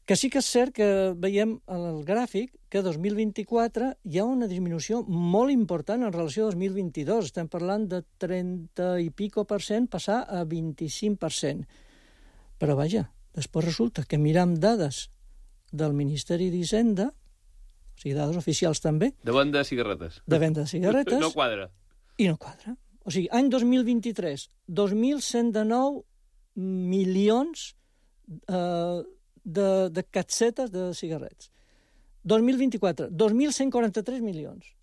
que sí que és cert que veiem en el gràfic que dos mil vint-i-quatre hi ha una disminució molt important en relació a dos mil vint-i-dos. Estem parlant de trenta i pico per cent passar a vint-i-cinc per cent. Però vaja, després resulta que miram dades del Ministeri d'Hisenda, o sigui, dades oficials també. De venda de cigarretes. De venda de cigarretes. No quadra. I no quadra. O sigui, any dos mil vint-i-tres, dos mil cent dinou milions eh, de, de catsetes de cigarrets. dos mil vint-i-quatre, dos mil cent quaranta-tres milions.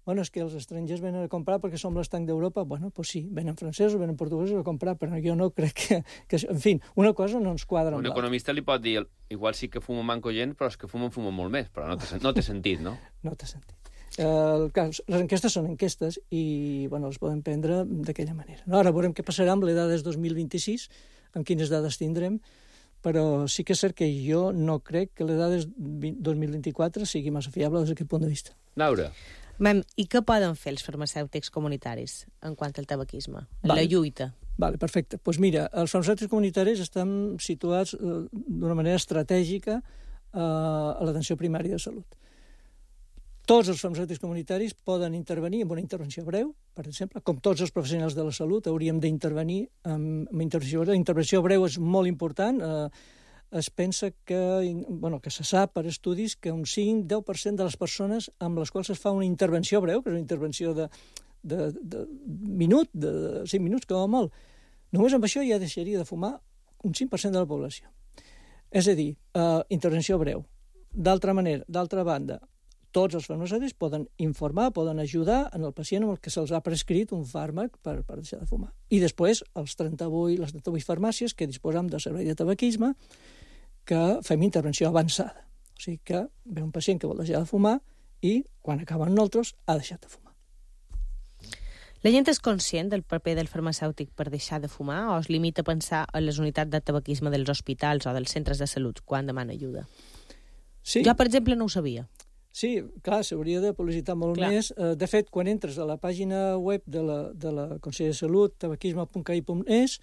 Bueno, és que els estrangers venen a comprar perquè som l'estanc d'Europa. Bueno, doncs sí, venen francesos, venen portuguesos a comprar, però jo no crec que... que en fi, una cosa no ens quadra amb l'altra. Un economista li pot dir, igual sí que fuma manco gent, però és que fumen, fumen molt més, però no té, no té sentit, no? No té sentit. Uh, les enquestes són enquestes i bueno, les podem prendre d'aquella manera. No, ara veurem què passarà amb les dades dos mil vint-i-sis, amb quines dades tindrem, però sí que és cert que jo no crec que les dades dos mil vint-i-quatre sigui massa fiable des d'aquest punt de vista. Laura. Mem, i què poden fer els farmacèutics comunitaris en quant al tabaquisme, en vale. la lluita? Vale, perfecte. Doncs pues mira, els farmacèutics comunitaris estan situats eh, d'una manera estratègica eh, a l'atenció primària de salut. Tots els farmacèutics comunitaris poden intervenir amb una intervenció breu, per exemple, com tots els professionals de la salut hauríem d'intervenir amb, amb intervenció breu. La intervenció breu és molt important. Eh, es pensa que, bueno, que se sap per estudis que un cinc a deu per cent de les persones amb les quals es fa una intervenció breu, que és una intervenció de, de, de minut, de cinc minuts, com a molt, només amb això ja deixaria de fumar un cinc per cent de la població. És a dir, uh, intervenció breu. D'altra manera, d'altra banda, tots els farmacèutics poden informar, poden ajudar en el pacient amb el que se'ls ha prescrit un fàrmac per, per deixar de fumar. I després, els trenta-vuit, les trenta-vuit farmàcies que disposem de servei de tabaquisme, que fem intervenció avançada. O sigui que ve un pacient que vol deixar de fumar i, quan acaben nosaltres, ha deixat de fumar. La gent és conscient del paper del farmacèutic per deixar de fumar o es limita a pensar en les unitats de tabaquisme dels hospitals o dels centres de salut quan demana ajuda? Sí. Jo, per exemple, no ho sabia. Sí, clar, s'hauria de publicitar molt clar. més. De fet, quan entres a la pàgina web de la, de la Consell de Salut, tabaquisme punt c a i punt es,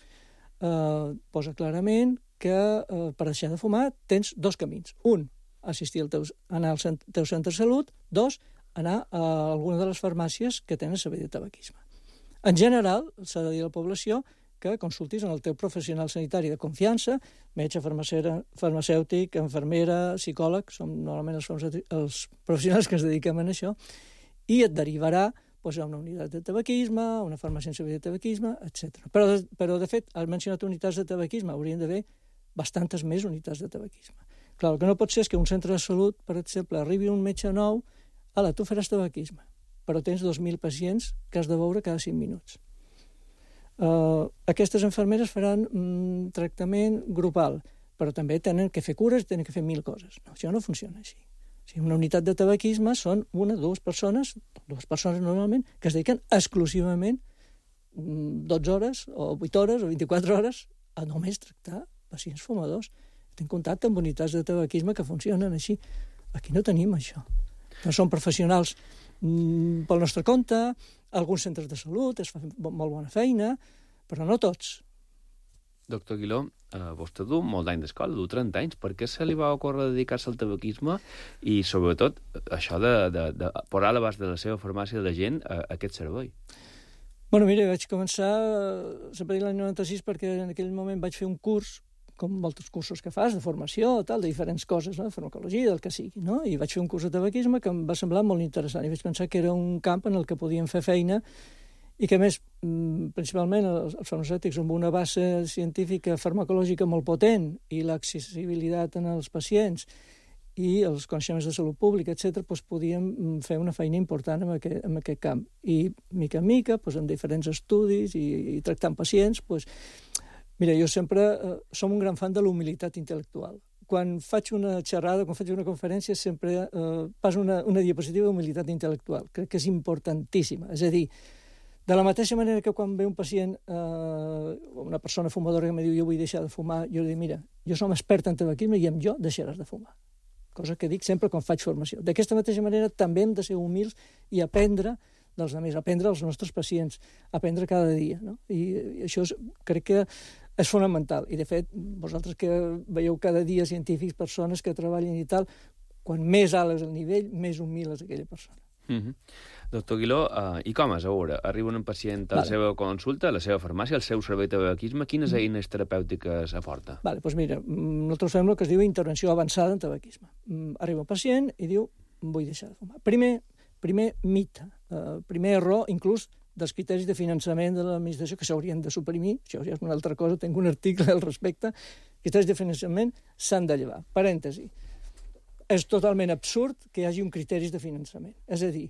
eh, posa clarament que eh, per deixar de fumar tens dos camins. Un, assistir al teu, anar al cent, teu centre de salut. Dos, anar a alguna de les farmàcies que tenen servei de tabaquisme. En general, s'ha de dir a la població que consultis en el teu professional sanitari de confiança, metge, farmacèutic, infermera, psicòleg, som normalment els, els professionals que ens dediquem a això, i et derivarà doncs, a una unitat de tabaquisme, a una farmàcia en servei de tabaquisme, etcètera. Però, però, de fet, has mencionat unitats de tabaquisme, haurien d'haver bastantes més unitats de tabaquisme. Clar, el que no pot ser és que un centre de salut, per exemple, arribi un metge nou, ala, tu faràs tabaquisme, però tens dos mil pacients que has de veure cada cinc minuts. Uh, aquestes infermeres faran un tractament grupal, però també tenen que fer cures i tenen que fer mil coses. No, això no funciona així. O sigui, una unitat de tabaquisme són una, dues persones, dues persones normalment, que es dediquen exclusivament dotze hores, o vuit hores, o vint-i-quatre hores a només tractar pacients fumadors. Tinc contacte amb unitats de tabaquisme que funcionen així. Aquí no tenim això. No són professionals mm, pel nostre compte, alguns centres de salut es fan molt bona feina, però no tots. Doctor Aguiló, eh, vostè du molt d'any d'escola, du trenta anys. Per què se li va ocórrer dedicar-se al tabaquisme i, sobretot, això de, de, de posar a l'abast de la seva farmàcia de la gent a, a aquest servei? Bueno, mira, vaig començar sempre l'any noranta-sis perquè en aquell moment vaig fer un curs, com molts cursos que fas, de formació, tal, de diferents coses, no? De farmacologia, del que sigui, no? I vaig fer un curs de tabaquisme que em va semblar molt interessant i vaig pensar que era un camp en el que podíem fer feina i que, a més, principalment els farmacèutics amb una base científica farmacològica molt potent i l'accessibilitat en els pacients i els coneixements de salut pública, etcètera, doncs podíem fer una feina important en aquest, en aquest camp. I, mica en mica, doncs, en diferents estudis i, i tractant pacients, doncs, mira, jo sempre eh, som un gran fan de la humilitat intel·lectual. Quan faig una xerrada, quan faig una conferència, sempre eh, passo una, una diapositiva d'humilitat intel·lectual. Crec que és importantíssima. És a dir, de la mateixa manera que quan ve un pacient, eh, una persona fumadora que em diu jo vull deixar de fumar, jo li dic, mira, jo som expert en tabaquisme i amb jo deixaràs de fumar. Cosa que dic sempre quan faig formació. D'aquesta mateixa manera també hem de ser humils i aprendre dels altres, aprendre als nostres pacients, aprendre cada dia. No? I, i això és, crec que és fonamental. I, de fet, vosaltres que veieu cada dia científics, persones que treballen i tal, quan més alt és el nivell, més humil és aquella persona. Mm-hmm. Doctor Aguiló, uh, i com és a veure? Arriba un pacient a la vale. seva consulta, a la seva farmàcia, al seu servei de tabaquisme, quines mm. eines terapèutiques aporta? Vale, doncs mira, nosaltres fem el que es diu intervenció avançada en tabaquisme. Arriba un pacient i diu, vull deixar de fumar. Primer, primer mite, uh, primer error, inclús dels criteris de finançament de l'administració que s'haurien de suprimir, això ja és una altra cosa, tinc un article al respecte, criteris de finançament s'han de llevar. Parèntesi. És totalment absurd que hi hagi un criteris de finançament. És a dir,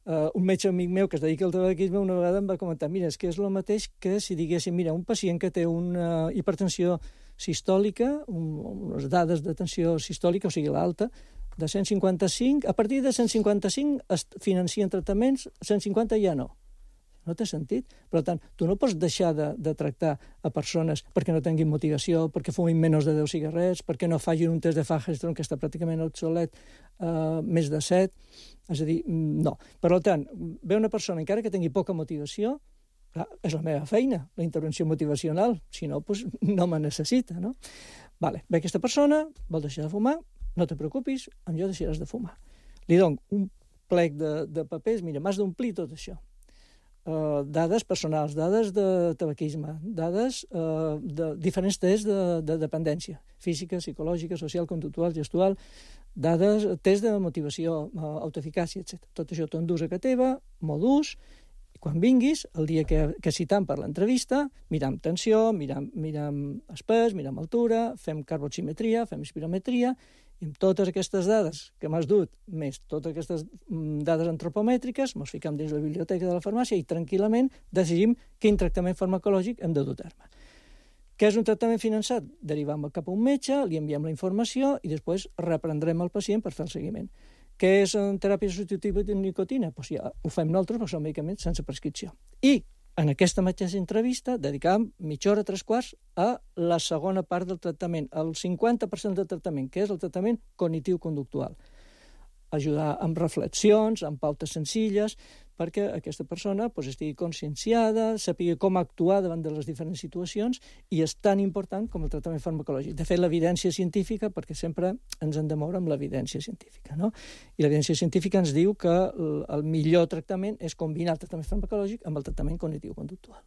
uh, un metge amic meu que es dedica al tabaquisme una vegada em va comentar, mira, és que és el mateix que si diguéssim, mira, un pacient que té una hipertensió sistòlica, un, unes dades de tensió sistòlica, o sigui, l'alta, de cent cinquanta-cinc, a partir de cent cinquanta-cinc es financien tractaments, cent cinquanta ja no. No té sentit. Per tant, tu no pots deixar de, de tractar a persones perquè no tinguin motivació, perquè fumin menys de deu cigarrets, perquè no facin un test de Fagerström que està pràcticament obsolet, uh, més de set. És a dir, no. Per tant, ve una persona, encara que tingui poca motivació, clar, és la meva feina, la intervenció motivacional. Si no, doncs no me necessita, no? Vale. Ve aquesta persona, vol deixar de fumar, no te preocupis, amb jo deixaràs de fumar. Li dono un plec de, de papers, mira, m'has d'omplir tot això. Uh, dades personals, dades de tabaquisme, dades uh, de diferents tests de, de dependència, física, psicològica, social, conductual, gestual, dades, tests de motivació, uh, autoeficàcia, etcètera. Tot això t'ho endús a casa teva, m'ho dus, quan vinguis, el dia que, que citam per l'entrevista, miram tensió, miram, miram espès, miram altura, fem carboximetria, fem espirometria, i amb totes aquestes dades que m'has dut, més totes aquestes dades antropomètriques, ens ficam dins la biblioteca de la farmàcia i tranquil·lament decidim quin tractament farmacològic hem de dur a terme. Què és un tractament finançat? Derivam cap a un metge, li enviem la informació i després reprendrem el pacient per fer el seguiment. Què és una teràpia substitutiva de nicotina? Doncs ja ho fem nosaltres, perquè són medicaments sense prescripció. I en aquesta mateixa entrevista dedicàvem mitja hora, tres quarts, a la segona part del tractament, el cinquanta per cent del tractament, que és el tractament cognitiu-conductual. Ajudar amb reflexions, amb pautes senzilles, perquè aquesta persona pues, estigui conscienciada, sàpiga com actuar davant de les diferents situacions, i és tan important com el tractament farmacològic. De fet, l'evidència científica, perquè sempre ens hem de moure amb l'evidència científica, no? I l'evidència científica ens diu que el millor tractament és combinar el tractament farmacològic amb el tractament cognitiu-conductual.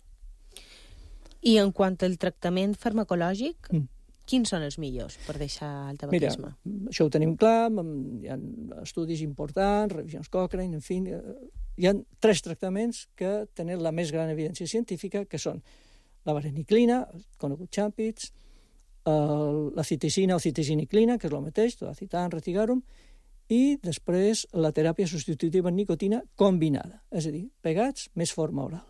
I en quant al tractament farmacològic, mm. quins són els millors per deixar el tabaquisme? Mira, això ho tenim clar, hi ha estudis importants, revisions Cochrane, en fi, hi ha tres tractaments que tenen la més gran evidència científica, que són la vareniclina, conegut Champix, la citicina o citisiniclina, que és el mateix, tolacitan, retigarum, i després la teràpia substitutiva en nicotina combinada, és a dir, pegats més forma oral.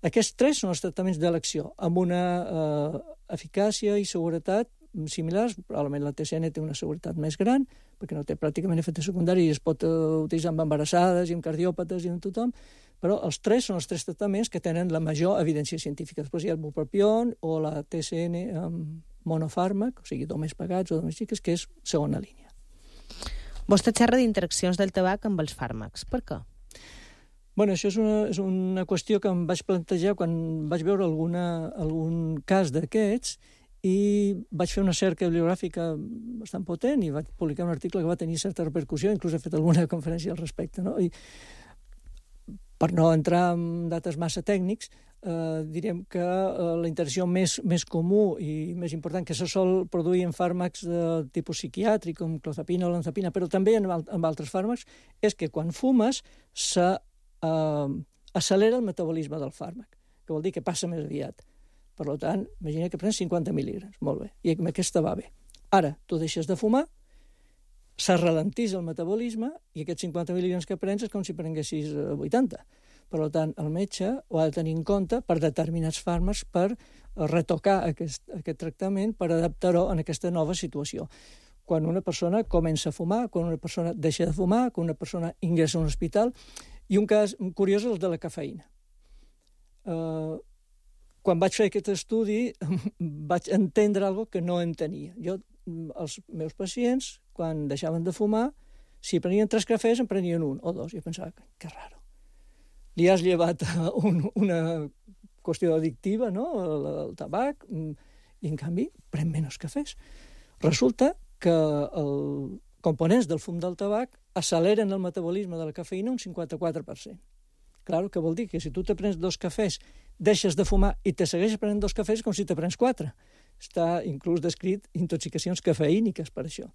Aquests tres són els tractaments d'elecció, amb una eh, eficàcia i seguretat similars. Probablement la T C N té una seguretat més gran, perquè no té pràcticament efectes secundaris i es pot uh, utilitzar amb embarassades i amb cardiòpates i amb tothom, però els tres són els tres tractaments que tenen la major evidència científica. Després hi ha el bupropion o la T C N amb monofàrmac, o sigui, només pagats o només xiques, que és segona línia. Vostè xerra d'interaccions del tabac amb els fàrmacs. Per què? Bueno, això és una, és una qüestió que em vaig plantejar quan vaig veure alguna, algun cas d'aquests i vaig fer una cerca bibliogràfica bastant potent i vaig publicar un article que va tenir certa repercussió, inclús he fet alguna conferència al respecte, no? I per no entrar en dates massa tècnics, eh, direm que eh, la interacció més, més comú i més important que se sol produir en fàrmacs de tipus psiquiàtric, com clozapina o lanzapina, però també en, en altres fàrmacs, és que quan fumes se Uh, accelera el metabolisme del fàrmac, que vol dir que passa més aviat. Per tant, imagina que prens cinquanta mil·lígrams, molt bé, i amb aquesta va bé. Ara, tu deixes de fumar, se ralentís el metabolisme i aquests cinquanta mil·lígrams que prens és com si prenguessis vuitanta. Per tant, el metge ho ha de tenir en compte per determinats fàrmacs per retocar aquest, aquest tractament, per adaptar-ho en aquesta nova situació. Quan una persona comença a fumar, quan una persona deixa de fumar, quan una persona ingressa a un hospital. I un cas curiós és el de la cafeïna. Uh, quan vaig fer aquest estudi vaig entendre alguna cosa que no entenia. Jo, els meus pacients, quan deixaven de fumar, si prenien tres cafès, en prenien un o dos. I pensava, que raro. Li has llevat un, una qüestió addictiva, no?, el, el tabac, i en canvi pren menys cafès. Resulta que el components del fum del tabac acceleren el metabolisme de la cafeïna un cinquanta-quatre per cent. Clar, que vol dir que si tu te prens dos cafès, deixes de fumar i te segueixes prenent dos cafès com si te prens quatre. Està inclús descrit intoxicacions cafeïniques per això.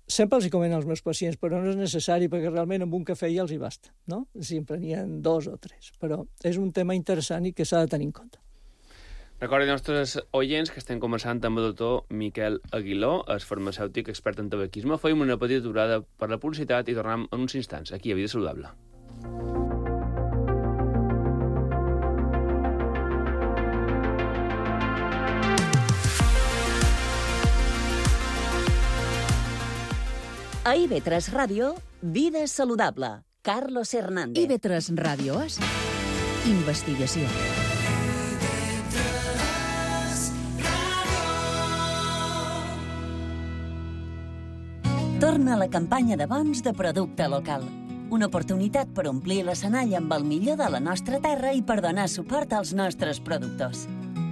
Sempre els hi comento als meus pacients, però no és necessari perquè realment amb un cafè ja els hi basta, no? Si en prenien dos o tres. Però és un tema interessant i que s'ha de tenir en compte. Recordin als nostres oients que estem començant amb el doctor Miquel Aguiló, és farmacèutic expert en tabaquisme. Fem una petita aturada per la publicitat i tornem en uns instants, aquí a Vida Saludable. A I V tres Ràdio, Vida Saludable. Carlos Hernández. I V tres Ràdio és investigació. Torna a la campanya de bons de producte local. Una oportunitat per omplir l'escenari amb el millor de la nostra terra i per donar suport als nostres productors.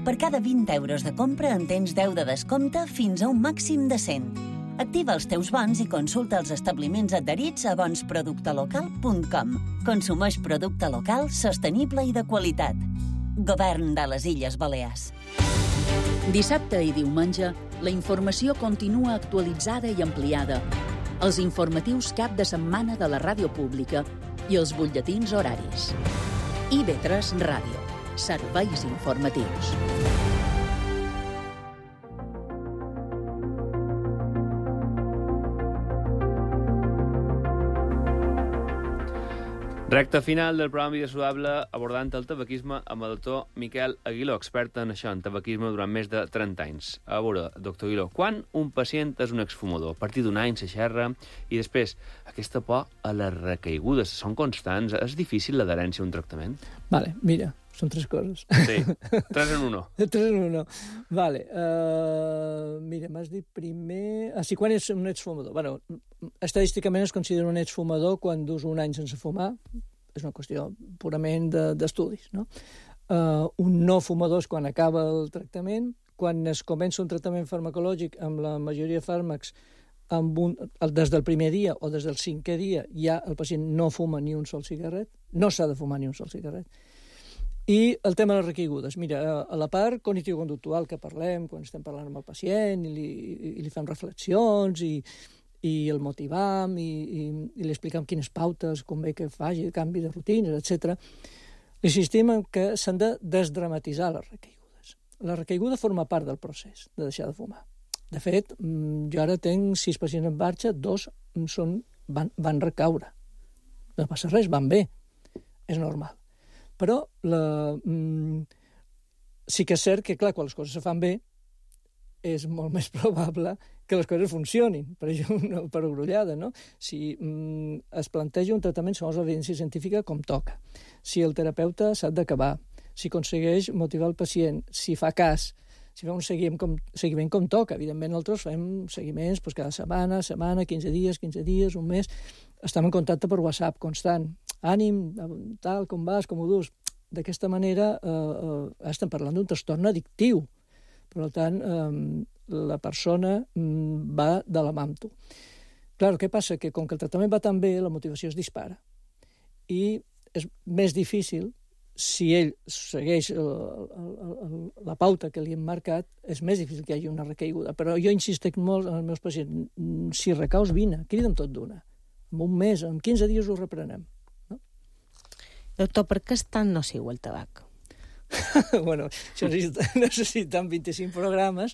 Per cada vint euros de compra en tens deu de descompte fins a un màxim de cent. Activa els teus bons i consulta els establiments adherits a bons producte local punt com. Consumeix producte local, sostenible i de qualitat. Govern de les Illes Balears. Dissabte i diumenge, la informació continua actualitzada i ampliada. Els informatius cap de setmana de la ràdio pública i els butlletins horaris. I V tres Ràdio. Serveis informatius. Recte final del programa Vida Saludable abordant el tabaquisme amb el doctor Miquel Aguiló, expert en això, en tabaquisme durant més de trenta anys. A veure, doctor Aguiló, quan un pacient és un exfumador? A partir d'un any se xerra i després aquesta por a les recaigudes són constants. És difícil l'adherència a un tractament? Vale, mira, són tres coses. Sí, tres en uno. Tres en uno. Vale, uh, mira, m'has dit primer... Ah, sí, quan és un exfumador? Bueno, estadísticament es considera un exfumador quan dus un any sense fumar. És una qüestió purament d'estudis, no? Uh, un no fumador és quan acaba el tractament. Quan es comença un tractament farmacològic amb la majoria de fàrmacs amb un, des del primer dia o des del cinquè dia ja el pacient no fuma ni un sol cigarret, no s'ha de fumar ni un sol cigarret. I el tema de les recaigudes. Mira, a la part cognitivo-conductual que parlem, quan estem parlant amb el pacient i li, i li fem reflexions i, i el motivam i, i, i li explicam quines pautes convé que faci, canvi de rutines, etcètera, insistim en que s'han de desdramatitzar les recaigudes. La recaiguda forma part del procés de deixar de fumar. De fet, jo ara tenc sis pacients en marxa, dos són, van, van recaure. No passa res, van bé. És normal. Però la, mm, sí que és cert que, clar, quan les coses se fan bé, és molt més probable que les coses funcionin, per això una perogrullada, no? Si mm, es planteja un tractament segons l'evidència científica com toca, si el terapeuta s'ha d'acabar, si aconsegueix motivar el pacient, si fa cas, si fa un seguiment com, seguiment com toca. Evidentment, nosaltres fem seguiments doncs, cada setmana, setmana, quinze dies, quinze dies, un mes. Estem en contacte per WhatsApp constant. Ànim, tal, com vas, com ho dus. D'aquesta manera eh, eh, estem parlant d'un trastorn addictiu. Per tant, eh, la persona mm, va de la mà amb tu. Clar, què passa? Que com que el tractament va tan bé, la motivació es dispara. I és més difícil, si ell segueix el, el, el, la pauta que li hem marcat, és més difícil que hi hagi una recaiguda. Però jo insistec molt en els meus pacients, si recaus, vine, crida'm tot d'una. En un mes, en quinze dies ho reprenem. No? Doctor, per què és tan nociu el tabac? Bueno, això necessitem vint-i-cinc programes,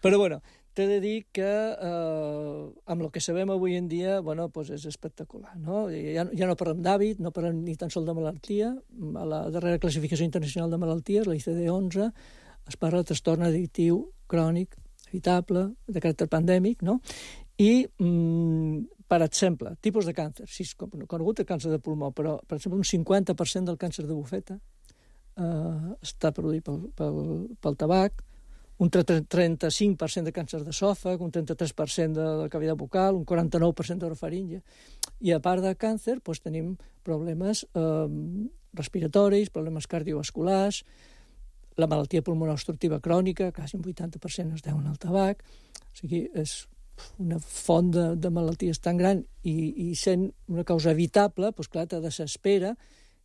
però bueno, t'he de dir que eh, amb el que sabem avui en dia, bueno, pues és espectacular, no? Ja, ja no parlem d'hàbit, no parlem ni tan sols de malaltia. A la darrera classificació internacional de malalties, la I C D onze, es parla de trastorn addictiu crònic, evitable, de caràcter pandèmic, no? I, mm, per exemple, tipus de càncer, sí, és conegut el càncer de pulmó, però, per exemple, un cinquanta per cent del càncer de bufeta eh, està produït pel, pel, pel tabac, un trenta-cinc per cent de càncer d'esòfag, un trenta-tres per cent de la cavitat bucal, un quaranta-nou per cent d'orofaringe. I a part de càncer, doncs, tenim problemes eh, respiratoris, problemes cardiovasculars, la malaltia pulmonar obstructiva crònica, quasi un vuitanta per cent es deuen al tabac. O sigui, és una font de, de malalties tan gran i, i sent una causa evitable, doncs clar, te desespera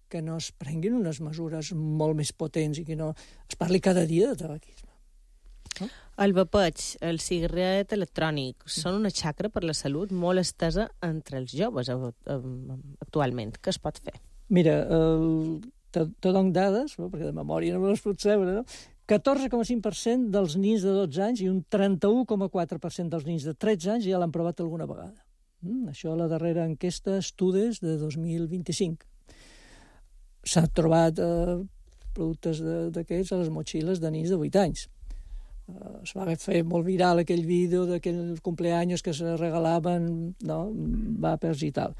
que no es prenguin unes mesures molt més potents i que no es parli cada dia de tabaquisme. No? El vapeig, el cigarret electrònic, són una xacra per la salut molt estesa entre els joves actualment. Què es pot fer? Mira, el, te, te dono dades, no? Perquè de memòria no me les puc saber, no? catorze coma cinc per cent dels nins de dotze anys i un trenta-u coma quatre per cent dels nins de tretze anys ja l'han provat alguna vegada. Mm, això a la darrera enquesta Estudes de dos mil vint-i-cinc. S'han trobat eh, productes d'aquests a les motxilles de nins de vuit anys. Uh, es va fer molt viral aquell vídeo d'aquells cumpleaños que se regalaven, no, vapers i tal.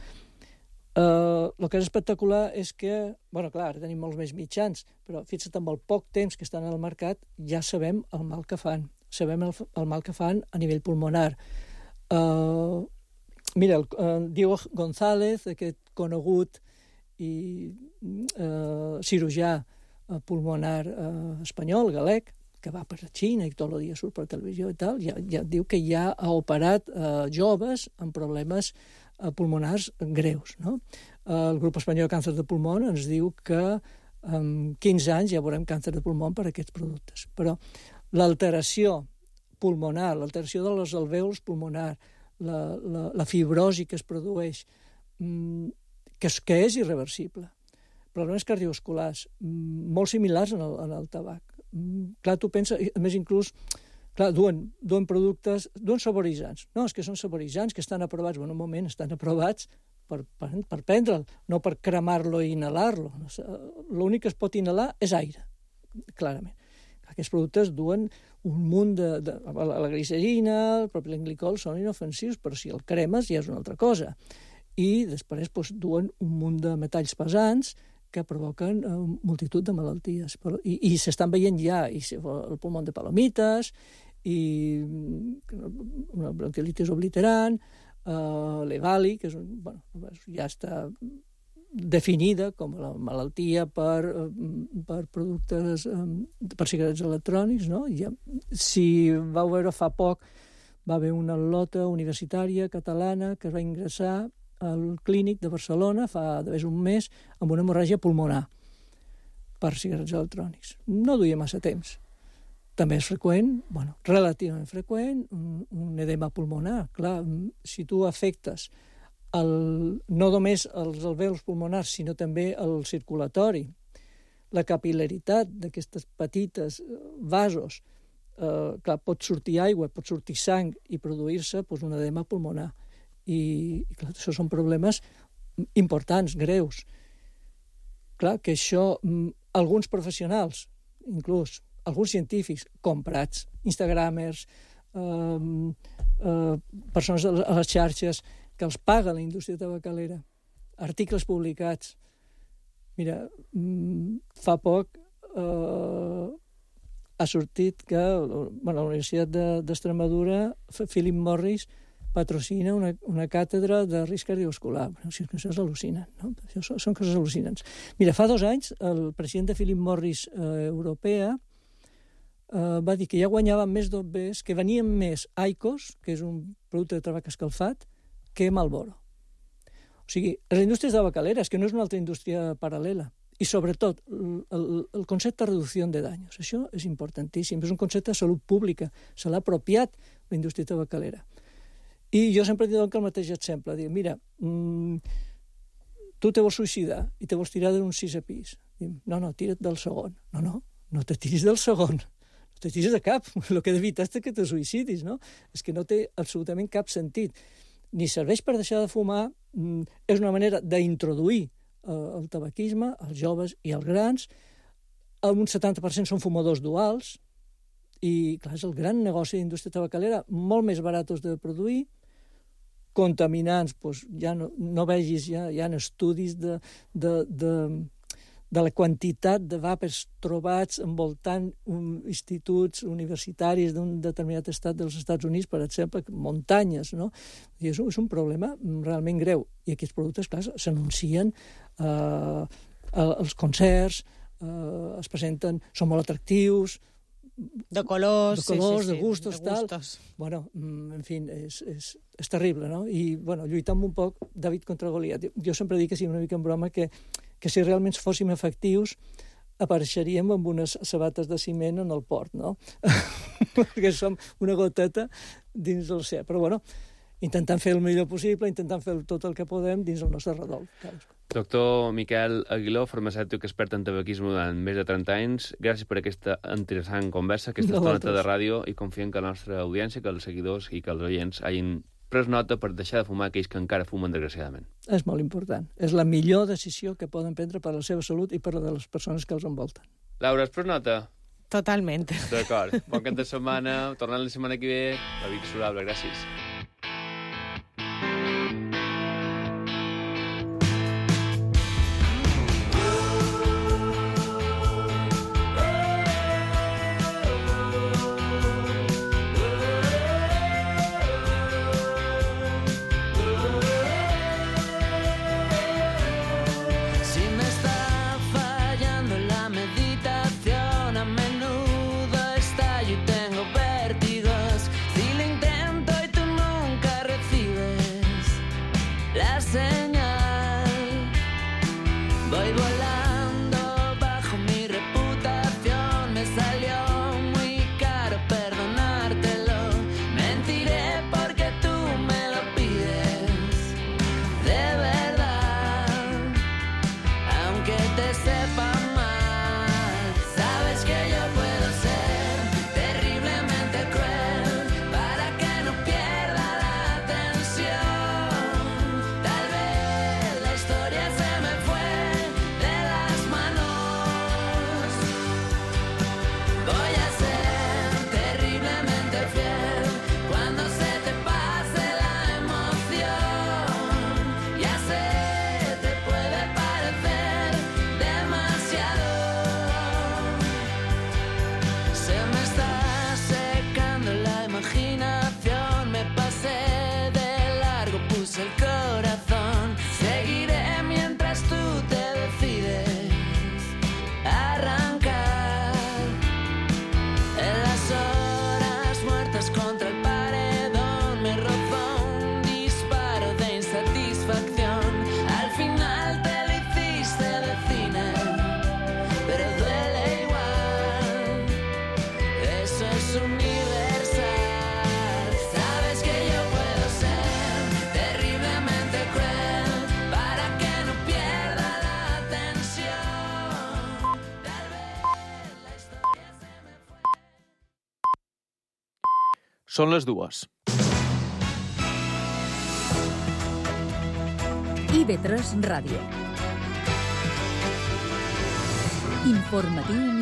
Uh, el que és espectacular és que, bueno, clar, tenim molts més mitjans, però fixa't, amb el poc temps que estan al mercat ja sabem el mal que fan. Sabem el, el mal que fan a nivell pulmonar. Uh, mira, el, uh, Diego González, aquest conegut i uh, cirurgià uh, pulmonar uh, espanyol, galec, que va per la Xina i tot el dia surt per televisió i tal, ja, ja diu que ja ha operat eh, joves amb problemes eh, pulmonars greus, no? Eh, el grup espanyol de càncer de pulmó ens diu que en quinze anys ja veurem càncer de pulmó per aquests productes. Però l'alteració pulmonar, l'alteració de les alvèols pulmonar, la, la, la fibrosi que es produeix, mm, que, és, que és irreversible. problemes cardiovasculars, molt similars en el, en el tabac. Clar, tu penses, a més inclús, clar, duen, duen productes, duen saboritzants. No, és que són saboritzants que estan aprovats, bueno, un moment, estan aprovats per, per, per prendre'l, no per cremar-lo i inhalar-lo. L'únic que es pot inhalar és aire, clarament. Aquests productes duen un munt de... de la, la glicerina, el propilenglicol són inofensius, però si el cremes ja és una altra cosa. I després doncs, duen un munt de metalls pesants que provoquen eh, multitud de malalties. Però, I i s'estan veient ja i el pulmó de palomites, i una bronquiolitis obliterant, eh, l'Evali, que és un, bueno, ja està definida com la malaltia per, per productes, per cigarets electrònics, no? Ja, si vau veure fa poc, va haver una lota universitària catalana que es va ingressar al clínic de Barcelona fa d'haver un mes amb una hemorràgia pulmonar per cigarets electrònics. No duia massa temps. També és freqüent, bueno, relativament freqüent, un, un edema pulmonar. Clar, si tu afectes el, no només els alvèols pulmonars, sinó també el circulatori, la capil·laritat d'aquestes petites vasos, eh, clar, pot sortir aigua, pot sortir sang i produir-se doncs, un edema pulmonar. I, i clar, això són problemes importants, greus. Clar, que això, alguns professionals, inclús alguns científics comprats, instagramers, eh, eh, persones a les xarxes que els paga la indústria tabacalera, articles publicats. Mira, fa poc eh, ha sortit que bueno, la Universitat d'Extremadura, Philip Morris, patrocina una, una càtedra de risc cardiovascular. Bueno, si és que això és al·lucinant, no? Això són, són coses al·lucinants. Mira, fa dos anys, el president de Philip Morris eh, europea eh, va dir que ja guanyaven més d'O Bs, que venien més Aicos, que és un producte de tabac escalfat, que Marlboro. O sigui, les indústries tabacaleres, que no és una altra indústria paral·lela. I, sobretot, el, el, el concepte de reducció de danys. Això és importantíssim. És un concepte de salut pública. Se l'ha apropiat la indústria tabacalera. I jo sempre dic el mateix exemple. Dic, mira, mmm, tu te vols suïcidar i te vols tirar d'un sisè pis. Dic, no, no, tira't del segon. No, no, no te tiris del segon. No te tiris de cap. El que d'evitar és que te suïcidis, no? És que no té absolutament cap sentit. Ni serveix per deixar de fumar, mm, és una manera d'introduir eh, el tabaquisme als joves i als grans. Un setanta per cent són fumadors duals, i, clar, és el gran negoci de indústria tabacalera, molt més baratos de produir, contaminants, doncs ja no, no vegis, ja hi ha estudis de, de, de, de la quantitat de vapers trobats envoltant un, instituts universitaris d'un determinat estat dels Estats Units, per exemple, muntanyes, no? I és, és un problema realment greu. I aquests productes, clar, s'anuncien eh, als concerts, eh, es presenten, són molt atractius, de colors, de, colors, sí, sí, de gustos, de tal. gustos. Bueno, en fi, és, és, és terrible, no? I, bueno, lluitant un poc David contra Goliat. Jo sempre dic que sí, una mica en broma, que, que si realment fóssim efectius, apareixeríem amb unes sabates de ciment en el port, no? Perquè som una goteta dins de l'oceà. Però, bueno, intentant fer el millor possible, intentant fer tot el que podem dins del nostre redol. Doctor Miquel Aguiló, farmacèutic expert en tabaquisme durant més de trenta anys, gràcies per aquesta interessant conversa, aquesta no, estoneta de ràdio, i confiem que la nostra audiència, que els seguidors i que els oients hagin pres nota per deixar de fumar aquells que encara fumen, desgraciadament. És molt important. És la millor decisió que poden prendre per a la seva salut i per a les persones que els envolten. Laura, has pres nota? Totalment. D'acord. Bon cap de setmana. Tornant la setmana que ve. La Vic Surable. Gràcies. Menudo estallo y tengo vértigos. Si lo intento y tú no Són les dues. I V tres Ràdio. Informatiu